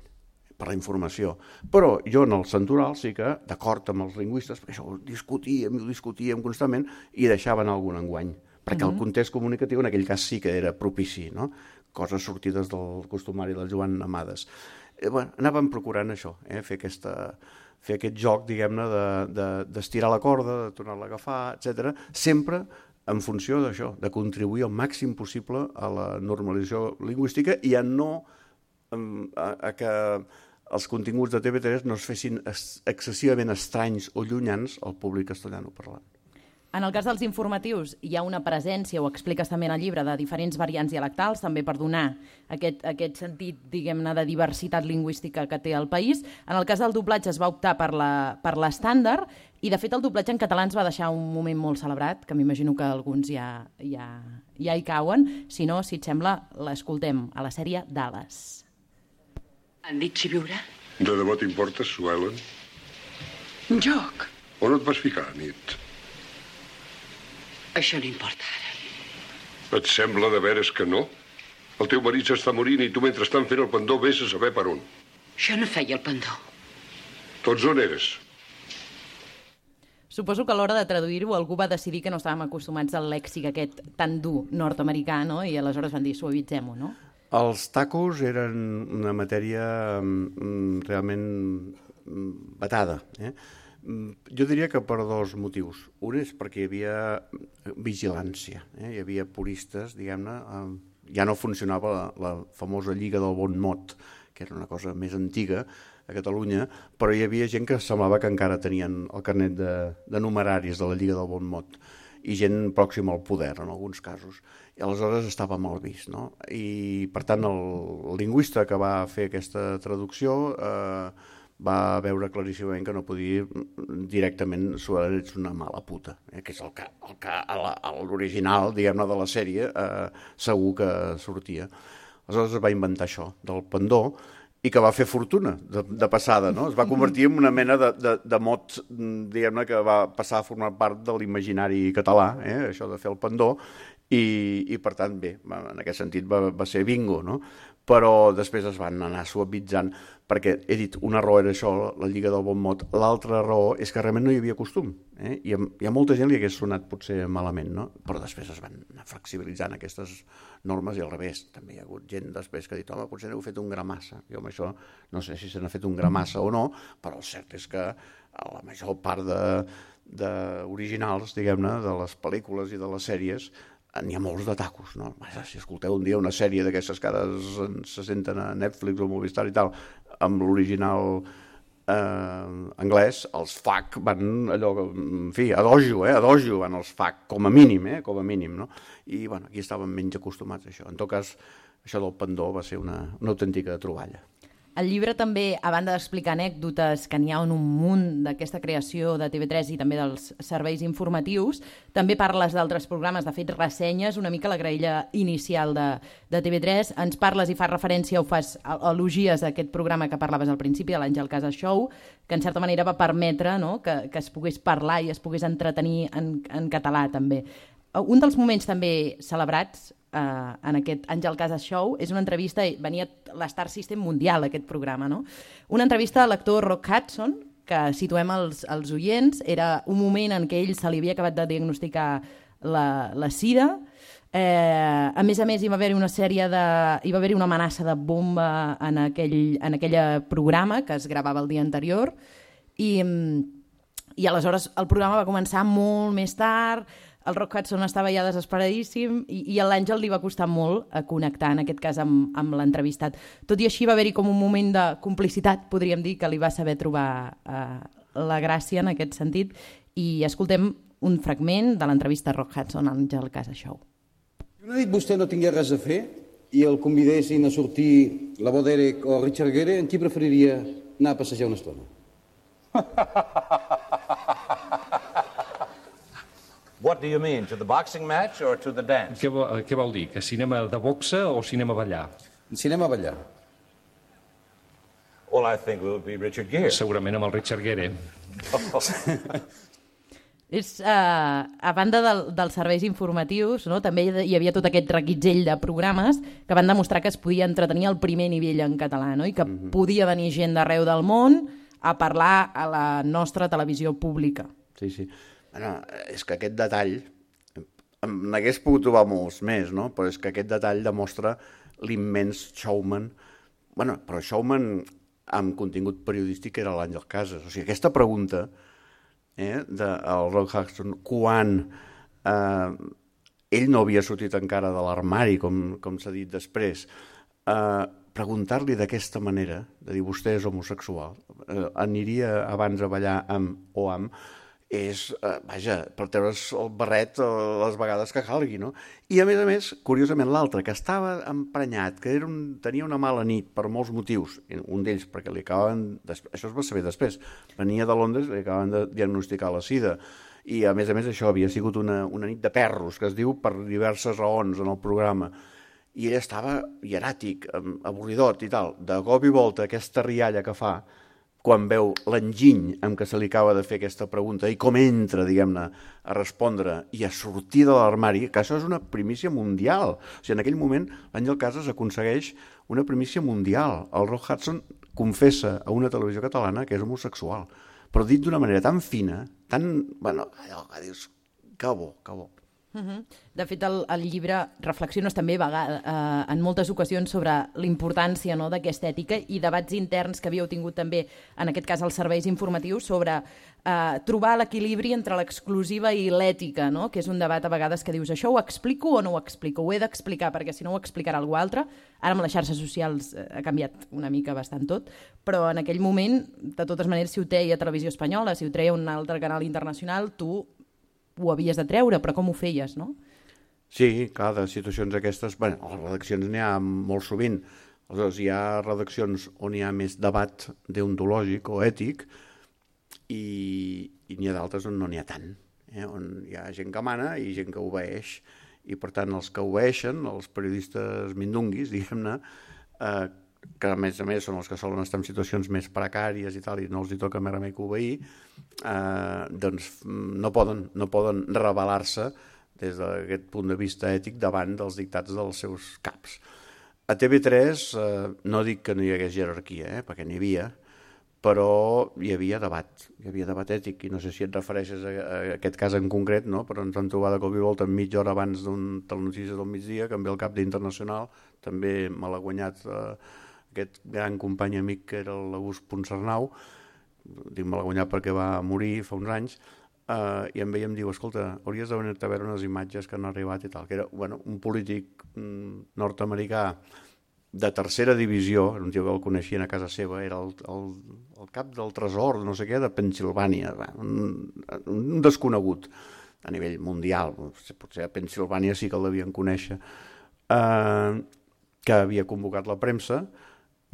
per la informació. Però jo en el Santoral sí que, d'acord amb els lingüistes, perquè això ho discutíem constantment, i deixaven algun enguany, perquè el context comunicatiu en aquell cas sí que era propici, no? Coses sortides del costumari del Joan Amades. Anàvem procurant això, fer aquest joc, diguem-ne, d'estirar la corda, de tornar-la a agafar, etc. Sempre en funció d'això, de contribuir al màxim possible a la normalització lingüística i a que els continguts de TV3 no es fessin excessivament estranys o llunyans al públic castellanoparlant. En el cas dels informatius hi ha una presència, ho expliques també en el llibre, de diferents variants dialectals, també per donar aquest sentit, diguem-ne, de diversitat lingüística que té el país. En el cas del doblatge es va optar per l'estàndard i, de fet, el doblatge en català ens va deixar un moment molt celebrat, que m'imagino que alguns ja hi cauen. Si no, si et sembla, l'escoltem a la sèrie Dallas. Han dit si viurà? De debò t'importa, Sue Ellen? Joc. On et vas ficar, nit? Això no importa ara. Et sembla de veres que no? El teu marit s'està morint i tu mentrestant fent el pendó vés a saber per on. Jo no feia el pendó. Tots on eres? Suposo que a l'hora de traduir-ho algú va decidir que no estàvem acostumats al lèxic aquest tan dur nord-americà, no? I aleshores van dir suavitzem-ho, no? Els tacos eren una matèria realment vetada, Jo diria que per dos motius. Un és perquè hi havia vigilància, hi havia puristes, diguem-ne, ja no funcionava la famosa Lliga del Bon Mot, que era una cosa més antiga a Catalunya, però hi havia gent que semblava que encara tenien el carnet de numeraris de la Lliga del Bon Mot, i gent pròxima al poder, en alguns casos. I aleshores estava mal vist, no? I, per tant, el lingüista que va fer aquesta traducció va veure claríssimament que no podia directament suar ets una mala puta, que és el que l'original, diguem-ne, de la sèrie segur que sortia. Aleshores es va inventar això, del pendó, i que va fer fortuna de passada, no? Es va convertir en una mena de mot, diguem-ne, que va passar a formar part de l'imaginari català, això de fer el pendó, i per tant, bé, en aquest sentit va ser bingo, no? Però després es van anar suavitzant, perquè he dit, una raó era això, la Lliga del Bon Mot, l'altra raó és que realment no hi havia costum, i a molta gent li hagués sonat potser malament, no? Però després es van anar flexibilitzant aquestes normes i al revés, també hi ha hagut gent després que ha dit, home, potser n'heu fet un gra massa. Jo amb això no sé si se n'ha fet un gra massa o no, però el cert és que la major part d'originals, diguem-ne, de les pel·lícules i de les sèries, n'hi ha molts de tacos, no? Si escolteu un dia una sèrie d'aquestes que ara se senten a Netflix o Movistar i tal, amb l'original anglès, els FAC van allò, en fi, a dojo van els FAC, com a mínim, no? I, bueno, aquí estàvem menys acostumats a això. En tot cas, això del pendó va ser una autèntica troballa. El llibre també, a banda d'explicar anècdotes, que n'hi ha un munt d'aquesta creació de TV3 i també dels serveis informatius, també parles d'altres programes, de fet, ressenyes una mica la graella inicial de TV3, ens parles i fas referència o fas elogies a aquest programa que parlaves al principi, de l'Àngel Casas Show, que en certa manera va permetre, no?, que es pogués parlar i es pogués entretenir en català, també. Un dels moments també celebrats en aquest Àngel Casas Show és una entrevista, venia l'Star System mundial, aquest programa, no? Una entrevista a l'actor Rock Hudson, que situem els oients, era un moment en què ell se li havia acabat de diagnosticar la sida. A més, hi va haver-hi hi va haver-hi una amenaça de bomba en aquell programa que es gravava el dia anterior i aleshores el programa va començar molt més tard. El Rock Hudson estava ja desesperadíssim i a l'Àngel li va costar molt connectar, en aquest cas, amb l'entrevistat. Tot i així va haver-hi com un moment de complicitat, podríem dir, que li va saber trobar la gràcia en aquest sentit. I escoltem un fragment de l'entrevista a Rock Hudson a l'Àngel Casas Show. Si una nit vostè no tingués res a fer i el convidessin a sortir la Bo Derek o Richard Gere, en qui preferiria anar a passejar una estona? What do you mean, to the boxing match or to the dance? Què vol dir? Que cinema de boxa o cinema ballar? Cinema ballar. Well, I think it would be Richard Gere. Segurament amb el Richard Gere. A banda dels serveis informatius, no? També hi havia tot aquest reguitzell de programes que van demostrar que es podia entretenir al primer nivell en català, no? I que podia venir gent d'arreu del món a parlar a la nostra televisió pública. Sí. Bueno, és que aquest detall, n'hagués pogut trobar molts més, no? Però és que aquest detall demostra l'immens showman, però showman amb contingut periodístic era l'Àngel Casas. O sigui, aquesta pregunta del Rock Hudson, quan ell no havia sortit encara de l'armari, com s'ha dit després, preguntar-li d'aquesta manera, de dir vostè és homosexual, aniria abans a ballar amb o amb, és, per treure's el barret les vegades que calgui, no? I a més, curiosament, l'altre, que estava emprenyat, que tenia una mala nit per molts motius, un d'ells perquè li acabaven, això es va saber després, venia de Londres, li acabaven de diagnosticar la sida, i a més això havia sigut una nit de perros, que es diu per diverses raons en el programa, i ell estava hieràtic, avorridot i tal, de cop i volta aquesta rialla que fa, quan veu l'enginy amb què se li acaba de fer aquesta pregunta i com entra, diguem-ne, a respondre i a sortir de l'armari, que això és una primícia mundial. O sigui, en aquell moment l'Àngel Casas aconsegueix una primícia mundial. El Rock Hudson confessa a una televisió catalana que és homosexual, però dit d'una manera tan fina, tan... allò que dius, que bo. De fet, el llibre reflexiones també en moltes ocasions sobre la importància d'aquesta ètica i debats interns que havíeu tingut també, en aquest cas, els serveis informatius, sobre trobar l'equilibri entre l'exclusiva i l'ètica, que és un debat a vegades que dius això ho explico o no ho explico, ho he d'explicar perquè si no ho explicarà algú altre. Ara amb les xarxes socials ha canviat una mica bastant tot, però en aquell moment, de totes maneres, si ho treia Televisió Espanyola, si ho treia un altre canal internacional, tu ho havies de treure, però com ho feies, no? Sí, clar, de situacions aquestes... Bé, a les redaccions n'hi ha molt sovint. Aleshores, hi ha redaccions on hi ha més debat deontològic o ètic i n'hi ha d'altres on no n'hi ha tant, on hi ha gent que mana i gent que obeeix. I, per tant, els que obeeixen, els periodistes mindunguis, diguem-ne, que a més són els que solen estar en situacions més precàries i tal, i no els hi toca més remei que obeir, doncs no poden rebel·lar-se des d'aquest punt de vista ètic davant dels dictats dels seus caps. A TV3 no dic que no hi hagués jerarquia, perquè n'hi havia, però hi havia debat ètic, i no sé si et refereixes a aquest cas en concret, no? Però ens vam trobar de cop i volta mitja hora abans d'un Telenotícies del migdia, que em ve el cap d'Internacional, també me l'ha guanyat aquest gran company amic que era l'August Ponsarnau, dic me l'ha guanyat perquè va morir fa uns anys, i em veiem, diu, escolta, hauries de venir-te a veure unes imatges que han arribat i tal, que era un polític nord-americà de tercera divisió, un tio que el coneixien a casa seva, era el cap del tresor, no sé què, de Pennsilvània, un desconegut a nivell mundial, potser a Pennsilvània sí que el devien conèixer, que havia convocat la premsa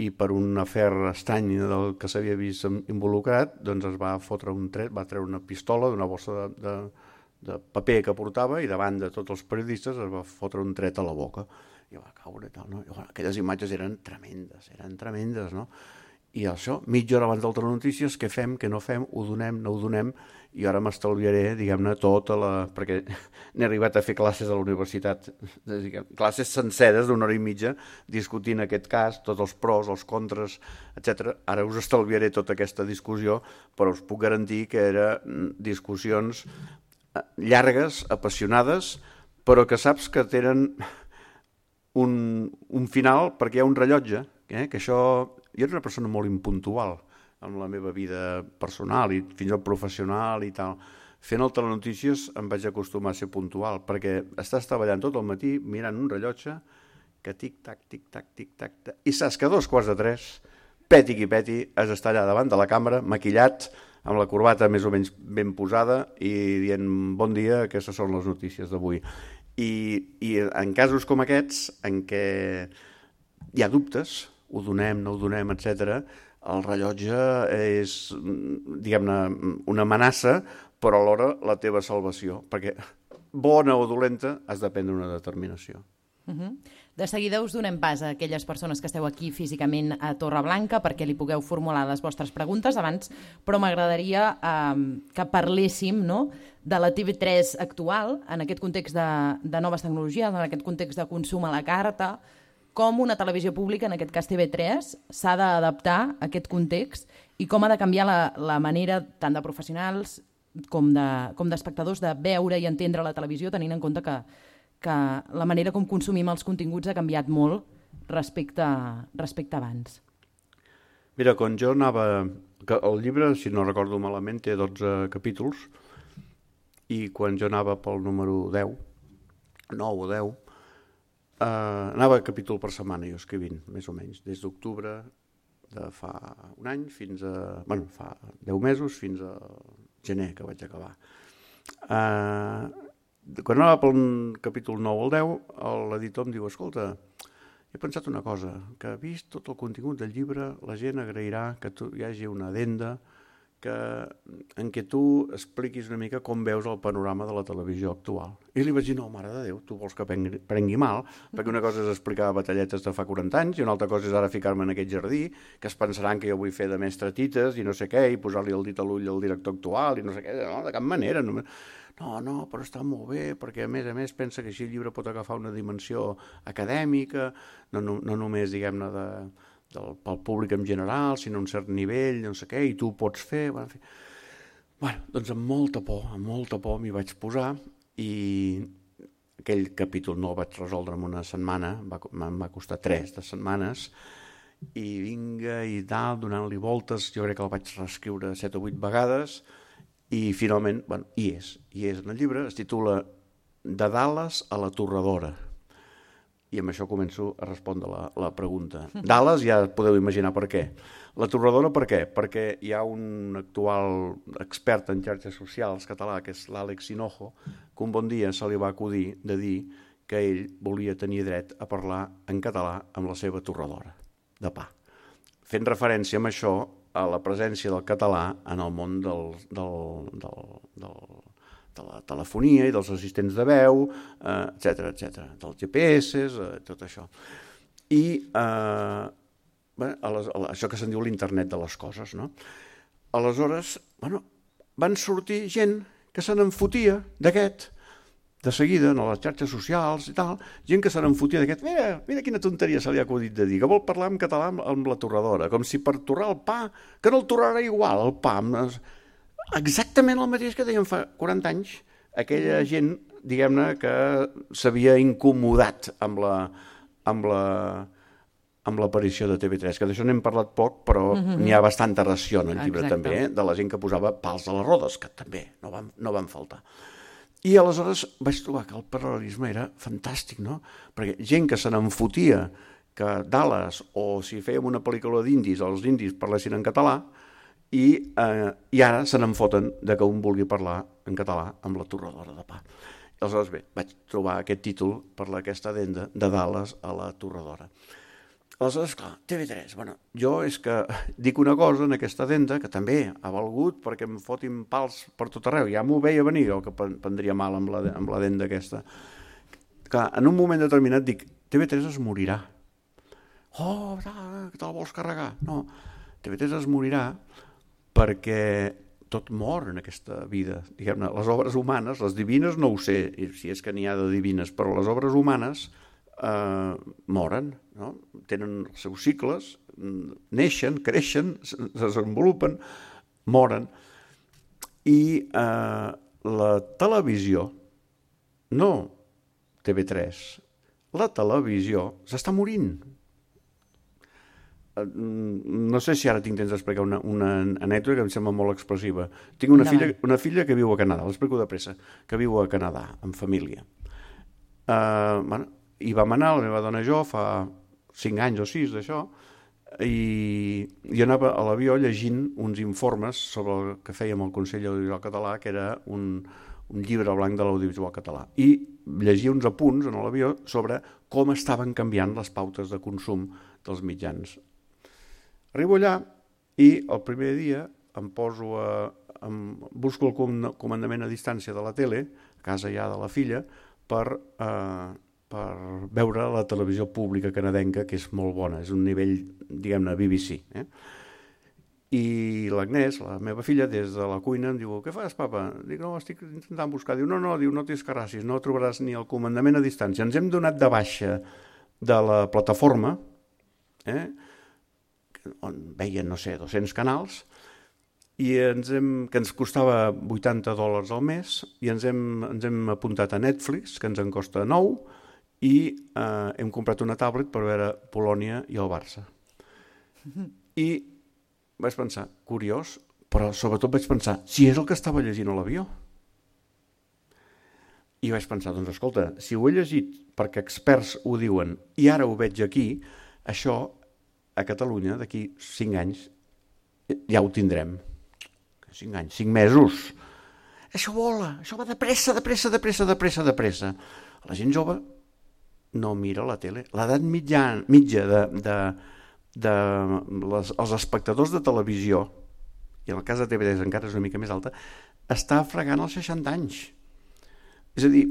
i per un afer estrany del que s'havia vist involucrat, doncs es va fotre un tret, va treure una pistola d'una bossa de paper que portava i davant de tots els periodistes es va fotre un tret a la boca. I va caure i tal, no? I, aquelles imatges eren tremendes, no? I això, mitja hora abans del Telenotícies, què fem, què no fem, ho donem, no ho donem, i ara m'estalviaré, diguem-ne, tota la... perquè n'he arribat a fer classes a la universitat, classes senceres d'una hora i mitja, discutint aquest cas, tots els pros, els contres, etc. Ara us estalviaré tota aquesta discussió, però us puc garantir que eren discussions llargues, apassionades, però que saps que tenen un final perquè hi ha un rellotge, que això... Jo era una persona molt impuntual en la meva vida personal i fins al professional i tal. Fent el Telenotícies em vaig acostumar a ser puntual perquè estàs treballant tot el matí mirant un rellotge que tic-tac, tic-tac, tic-tac, i saps que a 2:45, peti qui peti, has d'estar allà davant de la càmera, maquillat, amb la corbata més o menys ben posada i dient bon dia, aquestes són les notícies d'avui. I en casos com aquests, en què hi ha dubtes, ho donem, no ho donem, etc., el rellotge és, diguem-ne, una amenaça, però alhora la teva salvació, perquè bona o dolenta has de prendre una determinació. De seguida us donem pas a aquelles persones que esteu aquí físicament a Torreblanca perquè li pugueu formular les vostres preguntes abans, però m'agradaria que parléssim, no?, de la TV3 actual, en aquest context de noves tecnologies, en aquest context de consum a la carta, com una televisió pública, en aquest cas TV3, s'ha d'adaptar a aquest context i com ha de canviar la manera tant de professionals com d'espectadors de veure i entendre la televisió, tenint en compte que la manera com consumim els continguts ha canviat molt respecte abans. Mira, quan jo anava... El llibre, si no recordo malament, té 12 capítols i quan jo anava pel número 10, 9 o 10, anava capítol per setmana jo escrivint, més o menys, des d'octubre de fa un any fins a... Bueno, fa 10 mesos fins a gener que vaig acabar. Quan anava pel capítol 9 al 10, l'editor em diu, escolta, he pensat una cosa, que vist tot el contingut del llibre, la gent agrairà que hi hagi una addenda en què tu expliquis una mica com veus el panorama de la televisió actual. I li vaig dir, no, mare de Déu, tu vols que prengui mal, perquè una cosa és explicar batalletes de fa 40 anys i una altra cosa és ara ficar-me en aquest jardí, que es pensaran que jo vull fer de mestre tites i no sé què, i posar-li el dit a l'ull al director actual i no sé què, no, de cap manera. No, però està molt bé, perquè a més pensa que així el llibre pot agafar una dimensió acadèmica, no només, diguem-ne, pel públic en general, sinó a un cert nivell, no sé què, i tu ho pots fer. Bueno, doncs amb molta por m'hi vaig posar i aquell capítol no el vaig resoldre en una setmana, em va costar 3 setmanes, i vinga i tal, donant-li voltes, jo crec que el vaig reescriure 7 o 8 vegades, i finalment, bueno, hi és en el llibre, es titula De Dallas a la Torradora. I amb això començo a respondre la pregunta. Dallas ja podeu imaginar per què. La Torradora per què? Perquè hi ha un actual expert en xarxes socials català, que és l'Àlex Hinojo, que un bon dia se li va acudir de dir que ell volia tenir dret a parlar en català amb la seva torradora de pa. Fent referència amb això a la presència del català en el món de la telefonia i dels assistents de veu, etc, dels GPS, tot això. I això que se'n diu l'internet de les coses, no? Aleshores, van sortir gent que se n'enfotia d'aquest, de seguida, en les xarxes socials i tal, gent que se n'enfotia d'aquest, mira quina tonteria se li ha acudit de dir, que vol parlar en català amb la torradora, com si per torrar el pa, que no el torrarà igual, el pa, exactament el mateix que deien fa 40 anys, aquella gent, diguem-ne, que s'havia incomodat amb amb l'aparició de TV3, que d'això n'hem parlat poc, però n'hi ha bastanta ració en el llibre també, de la gent que posava pals a les rodes, que també no van faltar. I aleshores vaig trobar que el paral·lelisme era fantàstic, no? Perquè gent que se n'enfotia que Dallas, o si fèiem una pel·lícula d'indis, els indis parlessin en català, i ara se n'enfoten de que un vulgui parlar en català amb la torradora de pa. Aleshores, bé, vaig trobar aquest títol per aquesta addenda de Dallas a la torradora. Aleshores, clar, TV3, bueno, jo és que dic una cosa en aquesta addenda que també ha valgut perquè em fotin pals per tot arreu. Ja m'ho veia venir, el que prendria mal amb l'addenda aquesta. Clar, en un moment determinat dic, TV3 es morirà. Oh, que te'l vols carregar? No, TV3 es morirà perquè tot mor en aquesta vida. Diguem-ne, les obres humanes, les divines no ho sé, si és que n'hi ha de divines, però les obres humanes moren, no? Tenen els seus cicles, neixen, creixen, se desenvolupen, moren. I la televisió, no TV3, la televisió s'està morint. No sé si ara tinc temps d'explicar una anècdota que em sembla molt expressiva. Tinc una filla que viu a Canadà, l'explico de pressa, que viu a Canadà, en família. Hi vam anar, la meva dona i jo, fa 5 anys o 6 d'això, i jo anava a l'avió llegint uns informes sobre el que fèiem al Consell Audiovisual Català, que era un llibre blanc de l'audiovisual català. I llegia uns apunts en l'avió sobre com estaven canviant les pautes de consum dels mitjans. Arribo allà i el primer dia busco el comandament a distància de la tele, a casa ja de la filla, per veure la televisió pública canadenca, que és molt bona, és un nivell, diguem-ne, BBC. I l'Agnès, la meva filla, des de la cuina em diu, què fas, papa? Dic, no, estic intentant buscar. Diu, no t'escarrassis, no trobaràs ni el comandament a distància. Ens hem donat de baixa de la plataforma, on veien, no sé, 200 canals, i que ens costava $80 al mes, i ens hem apuntat a Netflix, que ens en costa 9, i hem comprat una tablet per veure Polònia i el Barça. I vaig pensar, curiós, però sobretot vaig pensar, si és el que estava llegint a l'avió. I vaig pensar, doncs escolta, si ho he llegit perquè experts ho diuen i ara ho veig aquí, això a Catalunya d'aquí 5 anys ja ho tindrem. 5 anys, 5 mesos. Això vola, això va de pressa. La gent jove no mira la tele. L'edat mitja dels espectadors de televisió, i en el cas de TV3 encara és una mica més alta, està fregant els 60 anys. És a dir,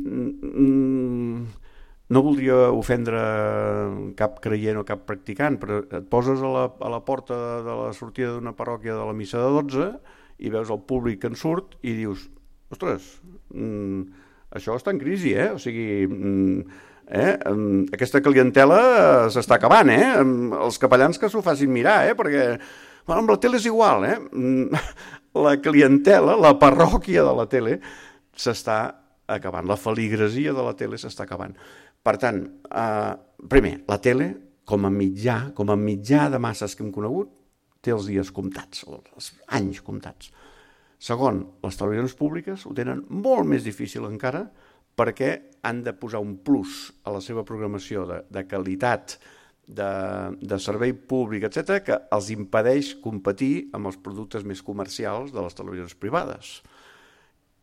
no voldria ofendre cap creient o cap practicant, però et poses a la porta de la sortida d'una parròquia de la missa de 12 i veus el públic que en surt i dius, ostres, això està en crisi, o sigui, aquesta clientela s'està acabant, els capellans que s'ho facin mirar, perquè amb la tele és igual, la clientela, la parròquia de la tele s'està acabant, la feligresia de la tele s'està acabant. Per tant, primer, la tele, com a mitjà de masses que hem conegut, té els dies comptats, els anys comptats. Segon, les televisions públiques ho tenen molt més difícil encara perquè han de posar un plus a la seva programació de qualitat, de servei públic, etc., que els impedeix competir amb els productes més comercials de les televisions privades.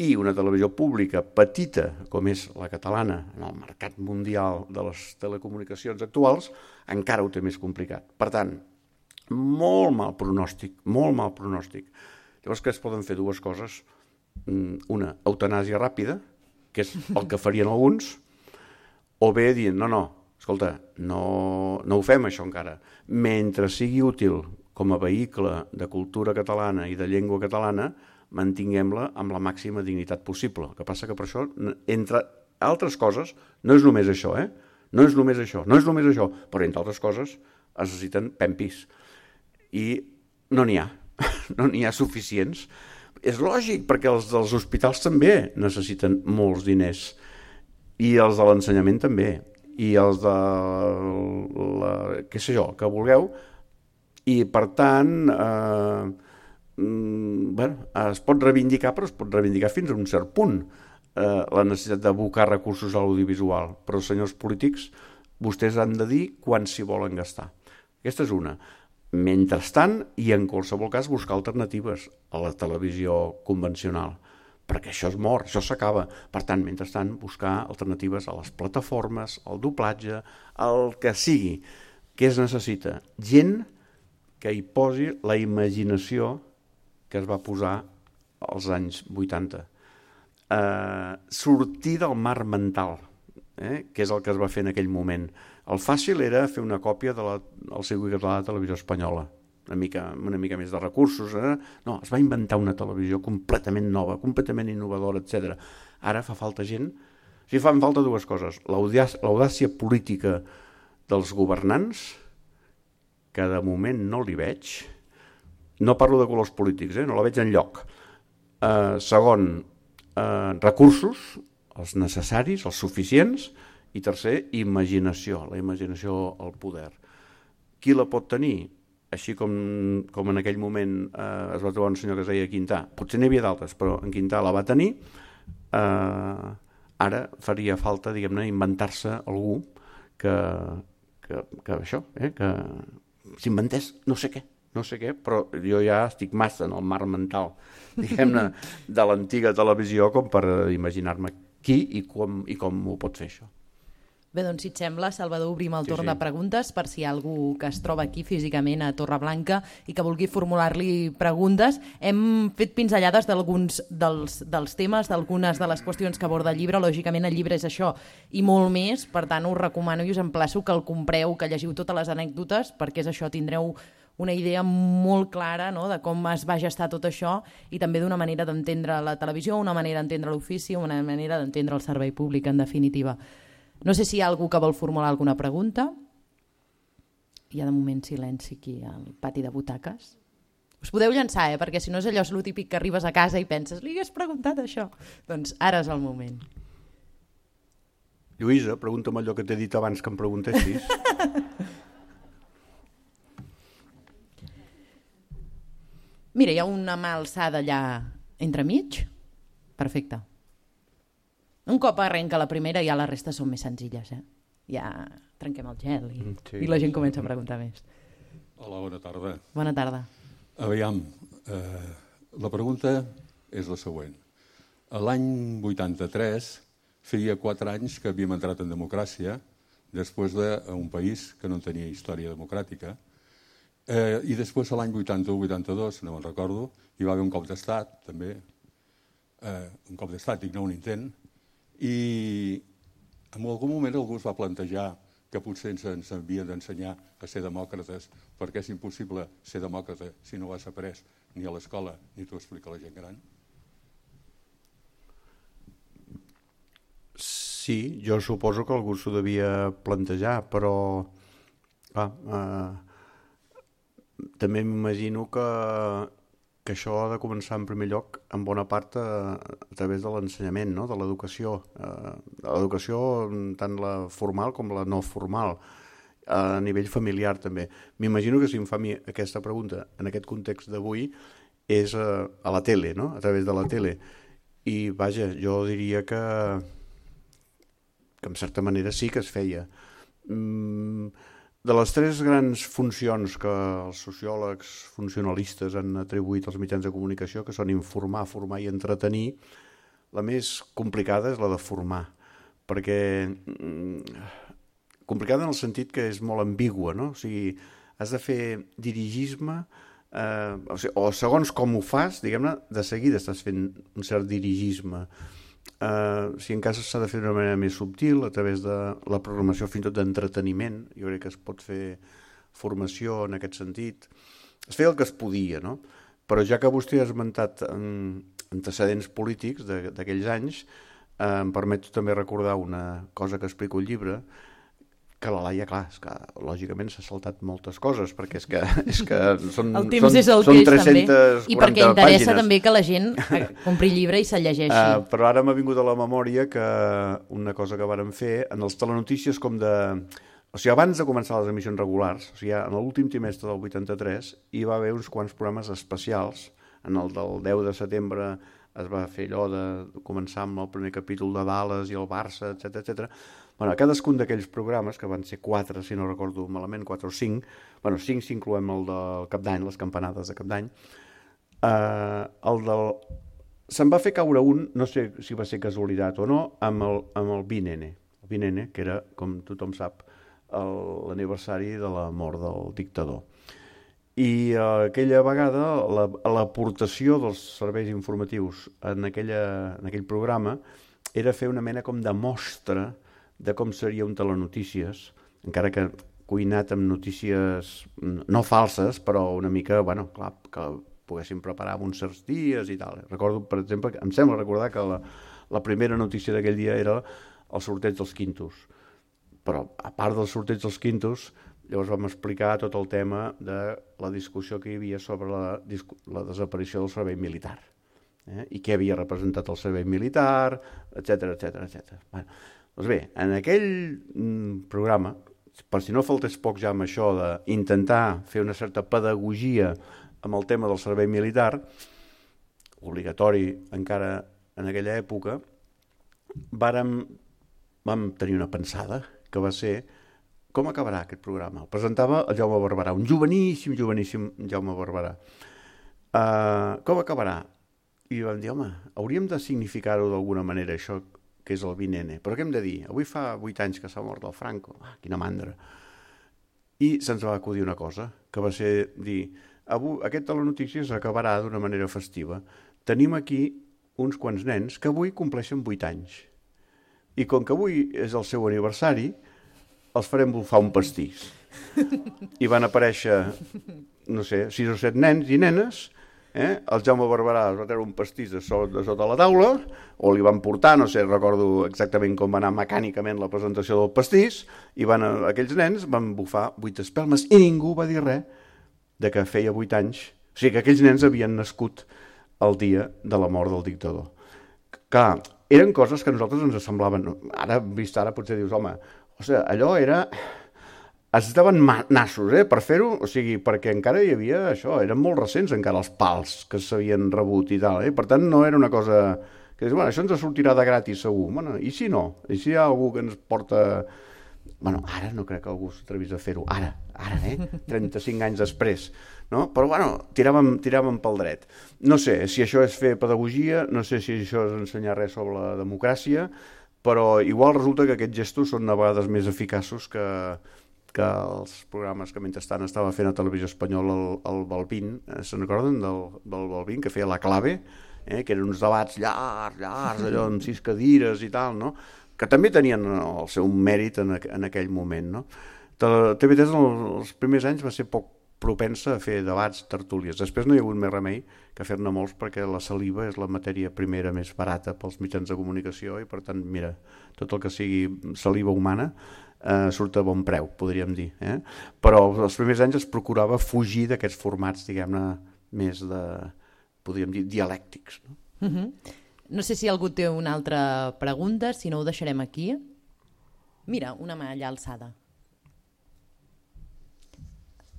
I una televisió pública petita, com és la catalana, en el mercat mundial de les telecomunicacions actuals, encara ho té més complicat. Per tant, molt mal pronòstic. Llavors que es poden fer dues coses. Una, eutanàsia ràpida, que és el que farien alguns, o bé dient, escolta, no ho fem això encara. Mentre sigui útil com a vehicle de cultura catalana i de llengua catalana, mantinguem-la amb la màxima dignitat possible. El que passa que per això, entre altres coses, no és només això, no és només això, però entre altres coses es necessiten pempis. I no n'hi ha suficients. És lògic, perquè els dels hospitals també necessiten molts diners, i els de l'ensenyament també, i els de què sé jo, que vulgueu, i per tant es pot reivindicar, però es pot reivindicar fins a un cert punt la necessitat d'abocar recursos a l'audiovisual, però senyors polítics, vostès han de dir quan s'hi volen gastar. Aquesta és una. Mentrestant, i en qualsevol cas, buscar alternatives a la televisió convencional, perquè això és mort, això s'acaba. Per tant, mentrestant, buscar alternatives a les plataformes, al doblatge, al que sigui. Què es necessita? Gent que hi posi la imaginació que es va posar als anys 80. Sortir del mar mental, que és el que es va fer en aquell moment. El fàcil era fer una còpia del circuit català de televisió espanyola, una mica més de recursos. No, es va inventar una televisió completament nova, completament innovadora, etc. Ara fa falta gent. Fan falta dues coses. L'audàcia política dels governants, que de moment no li veig. No parlo de colors polítics, no la veig enlloc. Segon, recursos, els necessaris, els suficients, i tercer, imaginació, la imaginació al poder. Qui la pot tenir? Així com en aquell moment es va trobar un senyor que es deia Quintà. Potser n'hi havia d'altres, però en Quintà la va tenir. Ara faria falta, diguem-ne, inventar-se algú que això, que s'inventés no sé què, però jo ja estic massa en el mar mental, diguem-ne, de l'antiga televisió com per imaginar-me qui i com ho pot fer això. Bé, doncs si et sembla, Salvador, obrim el torn de preguntes per si hi ha algú que es troba aquí físicament a Torreblanca i que vulgui formular-li preguntes. Hem fet pinzellades d'alguns dels temes, d'algunes de les qüestions que aborda el llibre. Lògicament el llibre és això i molt més, per tant us recomano i us emplaço que el compreu, que llegiu totes les anècdotes, perquè és això, tindreu una idea molt clara, no?, de com es va gestar tot això i també d'una manera d'entendre la televisió, una manera d'entendre l'ofici, una manera d'entendre el servei públic, en definitiva. No sé si hi ha algú que vol formular alguna pregunta. Hi ha de moment silenci aquí al pati de butaques. Us podeu llançar, perquè si no és allò lo típic que arribes a casa i penses li hagués preguntat això. Doncs ara és el moment. Lluïsa, pregunta'm allò que t'he dit abans que em preguntessis. Mira, hi ha una mà alçada allà entremig. Perfecte. Un cop arrenca la primera, ja la resta són més senzilles. Ja trenquem el gel i la gent comença a preguntar més. Hola, bona tarda. Bona tarda. Aviam, la pregunta és la següent. L'any 83 feia 4 anys que havíem entrat en democràcia després d'un país que no tenia història democràtica i després l'any 81-82, no me'n recordo, hi va haver un cop d'estat, també, un cop d'estat, dic, no un intent, i en algun moment algú es va plantejar que potser ens havien d'ensenyar a ser demòcrates perquè és impossible ser demòcrata si no ho has après ni a l'escola ni t'ho explica la gent gran? Sí, jo suposo que algú s'ho devia plantejar, però també m'imagino que això ha de començar en primer lloc en bona part a través de l'ensenyament, no?, de l'educació. L'educació tant la formal com la no formal, a nivell familiar també. M'imagino que si em fa a mi aquesta pregunta en aquest context d'avui és a la tele, no?, a través de la tele. I vaja, jo diria que en certa manera sí que es feia. De les 3 grans funcions que els sociòlegs funcionalistes han atribuït als mitjans de comunicació, que són informar, formar i entretenir, la més complicada és la de formar, perquè complicada en el sentit que és molt ambigua, no? O sigui, has de fer dirigisme, o segons com ho fas, diguem-ne, de seguida estàs fent un cert dirigisme. Si en cas s'ha de fer d'una manera més subtil, a través de la programació fins i tot d'entreteniment, jo crec que es pot fer formació en aquest sentit. Es feia el que es podia, no? Però ja que vostè ha esmentat antecedents polítics d'aquells anys, em permeto també recordar una cosa que explico al llibre, que la Laia, clar, és que lògicament s'ha saltat moltes coses, perquè és que són, el temps és el que és, 340 i perquè interessa pàgines. també que la gent compri llibre i se'l llegeixi. Però ara m'ha vingut a la memòria que una cosa que vàrem fer en els telenotícies com de... O sigui, abans de començar les emissions regulars, o sigui, en l'últim trimestre del 83, hi va haver uns quants programes especials. En el del 10 de setembre es va fer allò de començar amb el primer capítol de Dallas i el Barça, etc. Bueno, cadascun d'aquells programes, que van ser 4, si no recordo malament, 4 o 5, bueno, 5 si incloem el del Cap d'Any, les campanades de Cap d'Any, se'n va fer caure un, no sé si va ser casualitat o no, amb el Vinene. El Vinene, que era, com tothom sap, l'aniversari de la mort del dictador. I aquella vegada l'aportació dels serveis informatius en aquell programa era fer una mena com de mostra de com seria un telenotícies, encara que cuinat amb notícies no falses, però una mica, bueno, clar, que poguéssim preparar en uns certs dies i tal. Recordo, per exemple, em sembla recordar que la primera notícia d'aquell dia era el sorteig dels quintos. Però, a part del sorteig dels quintos, llavors vam explicar tot el tema de la discussió que hi havia sobre la desaparició del servei militar, i què havia representat el servei militar, etc. Bueno, doncs bé, en aquell programa, per si no faltés poc ja amb això d'intentar fer una certa pedagogia amb el tema del servei militar, obligatori encara en aquella època, vam tenir una pensada que va ser com acabarà aquest programa. El presentava el Jaume Barberà, un joveníssim Jaume Barberà. Com acabarà? I vam dir, home, hauríem de significar-ho d'alguna manera, això que és el Vinene. Però què hem de dir? Avui fa 8 anys que s'ha mort el Franco. Quina mandra. I se'ns va acudir una cosa, que va ser dir, aquest telenotícies acabarà d'una manera festiva. Tenim aquí uns quants nens que avui compleixen 8 anys. I com que avui és el seu aniversari, els farem bufar un pastís. I van aparèixer, no sé, 6 o 7 nens i nenes. El Jaume Barberà es va treure un pastís de sota la taula, o li van portar, no sé, recordo exactament com va anar mecànicament la presentació del pastís, i aquells nens van bufar 8 espelmes i ningú va dir res de que feia 8 anys. O sigui que aquells nens havien nascut el dia de la mort del dictador. Clar, eren coses que a nosaltres ens semblaven... Ara, vist ara, potser dius, home, allò era... Es daven nassos per fer-ho, o sigui, perquè encara hi havia això, eren molt recents encara els pals que s'havien rebut i tal, per tant no era una cosa que dius, bueno, això ens sortirà de gratis segur, bueno, i si no? I si hi ha algú que ens porta... Bueno, ara no crec que algú s'atrevís a fer-ho, ara, 35 anys després, no? Però bueno, tiràvem pel dret. No sé si això és fer pedagogia, no sé si això és ensenyar res sobre la democràcia, però igual resulta que aquests gestos són a vegades més eficaços que els programes que mentrestant estava fent a Televisió Espanyola el Balbín, se'n recorden del Balbín, que feia La Clave, que eren uns debats llargs, allò amb 6 cadires i tal, no? Que també tenien el seu mèrit en aquell moment, no? TV3 els primers anys va ser poc propensa a fer debats, tertúlies. Després no hi ha hagut més remei que fer-ne molts perquè la saliva és la matèria primera més barata pels mitjans de comunicació i per tant, mira, tot el que sigui saliva humana surt a bon preu, podríem dir. Però els primers anys es procurava fugir d'aquests formats, diguem-ne, més podríem dir, dialèctics. No sé si algú té una altra pregunta, si no ho deixarem aquí. Mira, una mà allà alçada.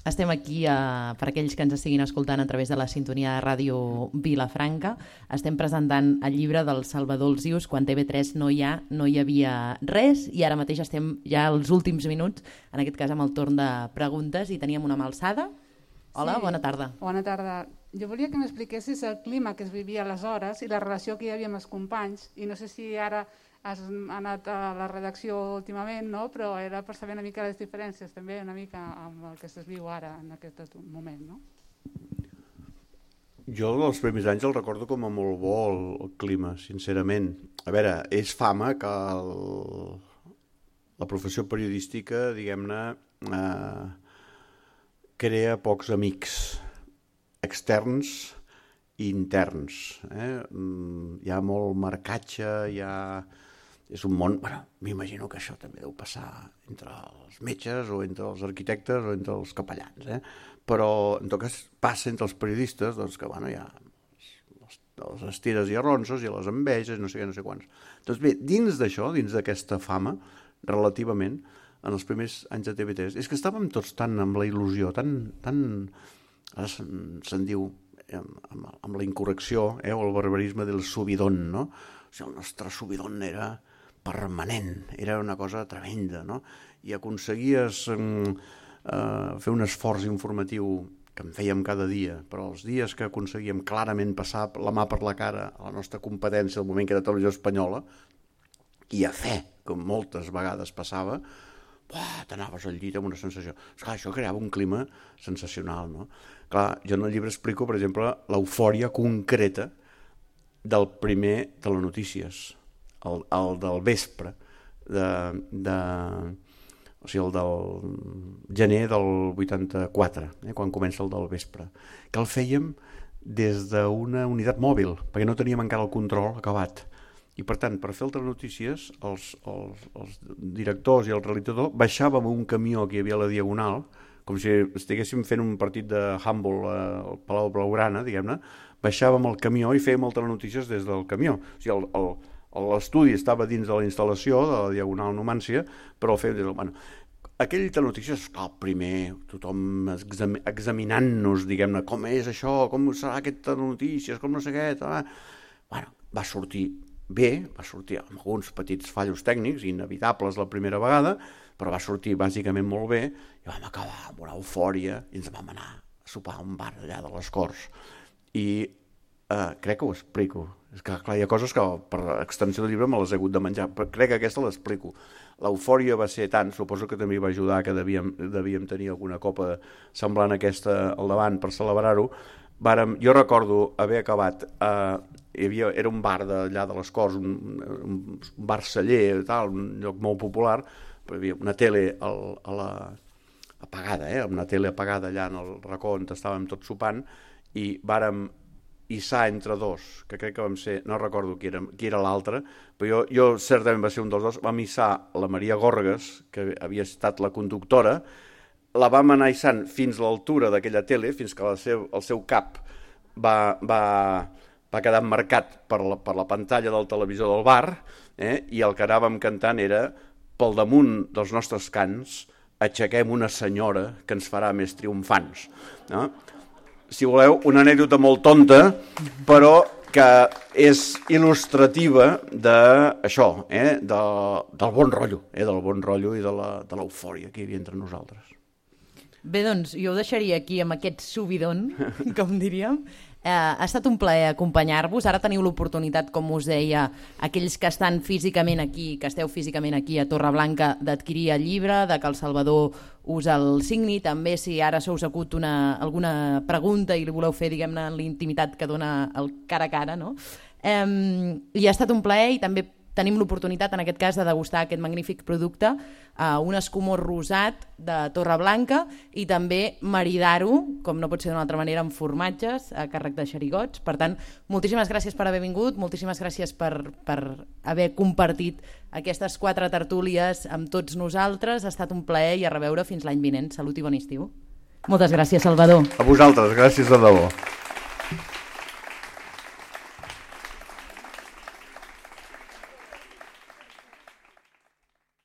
Estem aquí, per aquells que ens estiguin escoltant a través de la sintonia de Ràdio Vilafranca. Estem presentant el llibre del Salvador Alsius, quan TV3 no hi havia res, i ara mateix estem ja als últims minuts, en aquest cas amb el torn de preguntes, i teníem una mà alçada. Hola, bona tarda. Bona tarda. Jo volia que m'expliquessis el clima que es vivia aleshores i la relació que hi havia amb els companys, i no sé si ara has anat a la redacció últimament, no? Però era per saber una mica les diferències també una mica amb el que es viu ara en aquest moment, no? Jo els primers anys el recordo com a molt bo el clima, sincerament. A veure, és fama que la professió periodística, diguem-ne, crea pocs amics externs i interns. Hi ha molt marcatge, hi ha És un món, m'imagino que això també deu passar entre els metges o entre els arquitectes o entre els capellans, però en tot cas passa entre els periodistes, doncs que hi ha les estires i arronsos i les enveges, no sé què, no sé quants. Doncs bé, dins d'això, dins d'aquesta fama, relativament, en els primers anys de TV3, és que estàvem tots tan amb la il·lusió, ara se'n diu, amb la incorrecció, o el barbarisme del subidón, no? O sigui, el nostre subidón era permanent, era una cosa tremenda, no? I aconseguies fer un esforç informatiu que en fèiem cada dia, però els dies que aconseguíem clarament passar la mà per la cara a la nostra competència al moment que era Televisió Espanyola, i a fe, com moltes vegades passava, t'anaves al llit amb una sensació. Esclar, això creava un clima sensacional, no? Clar, jo en el llibre explico, per exemple, l'eufòria concreta del primer Telenotícies, el del vespre, o sigui, el del gener del 84, quan comença el del vespre, que el fèiem des d'una unitat mòbil, perquè no teníem encara el control acabat. I per tant, per fer el Telenotícies, els directors i el realitzador baixàvem un camió que hi havia a la Diagonal, com si estiguéssim fent un partit de handball al Palau Blaugrana, diguem-ne, baixàvem el camió i fèiem el Telenotícies des del camió. O sigui, l'estudi estava dins de la instal·lació de la Diagonal Numància, però el fèiem des del... Aquell Telenotícies, el primer, tothom examinant-nos, diguem-ne, com és això, com serà aquest Telenotícies, com no sé què... Va sortir bé, va sortir amb alguns petits fallos tècnics, inevitables la primera vegada, però va sortir bàsicament molt bé, i vam acabar amb una eufòria, i ens vam anar a sopar a un bar allà de les Corts. I crec que ho explico. És que, clar, hi ha coses que per extensió del llibre me les he hagut de menjar, però crec que aquesta l'explico. L'eufòria va ser tant, suposo que també va ajudar que devíem tenir alguna copa semblant a aquesta al davant per celebrar-ho. Jo recordo haver acabat, era un bar d'allà de les Corts, un bar celler, un lloc molt popular, però hi havia una tele apagada, una tele apagada allà en el racó on estàvem tots sopant, i vàrem hissar entre dos, que crec que vam ser, no recordo qui era l'altre, però jo certament va ser un dels dos, vam hissar la Maria Gorgas, que havia estat la conductora, la vam anar hissant fins a l'altura d'aquella tele, fins que el seu cap va quedar marcat per la pantalla del televisor del bar, i el que anàvem cantant era, pel damunt dels nostres cants, aixequem una senyora que ens farà més triomfants. Si voleu, una anècdota molt tonta, però que és il·lustrativa d'això, del bon rotllo i de l'eufòria que hi havia entre nosaltres. Bé, doncs, jo ho deixaria aquí amb aquest subidon, com diríem. Ha estat un plaer acompanyar-vos. Ara teniu l'oportunitat, com us deia, aquells que estan físicament aquí, que esteu físicament aquí a Torreblanca, d'adquirir el llibre, de que el Salvador us el signi. També, si ara se us acut alguna pregunta i li voleu fer, diguem-ne, en l'intimitat que dona el cara a cara, no? I ha estat un plaer, i també tenim l'oportunitat, en aquest cas, de degustar aquest magnífic producte, un escumós rosat de Torreblanca, i també maridar-ho, com no pot ser d'una altra manera, amb formatges a càrrec de xerigots. Per tant, moltíssimes gràcies per haver vingut, moltíssimes gràcies per haver compartit aquestes 4 tertúlies amb tots nosaltres. Ha estat un plaer i a reveure fins l'any vinent. Salut i bon estiu. Moltes gràcies, Salvador. A vosaltres, gràcies de debò.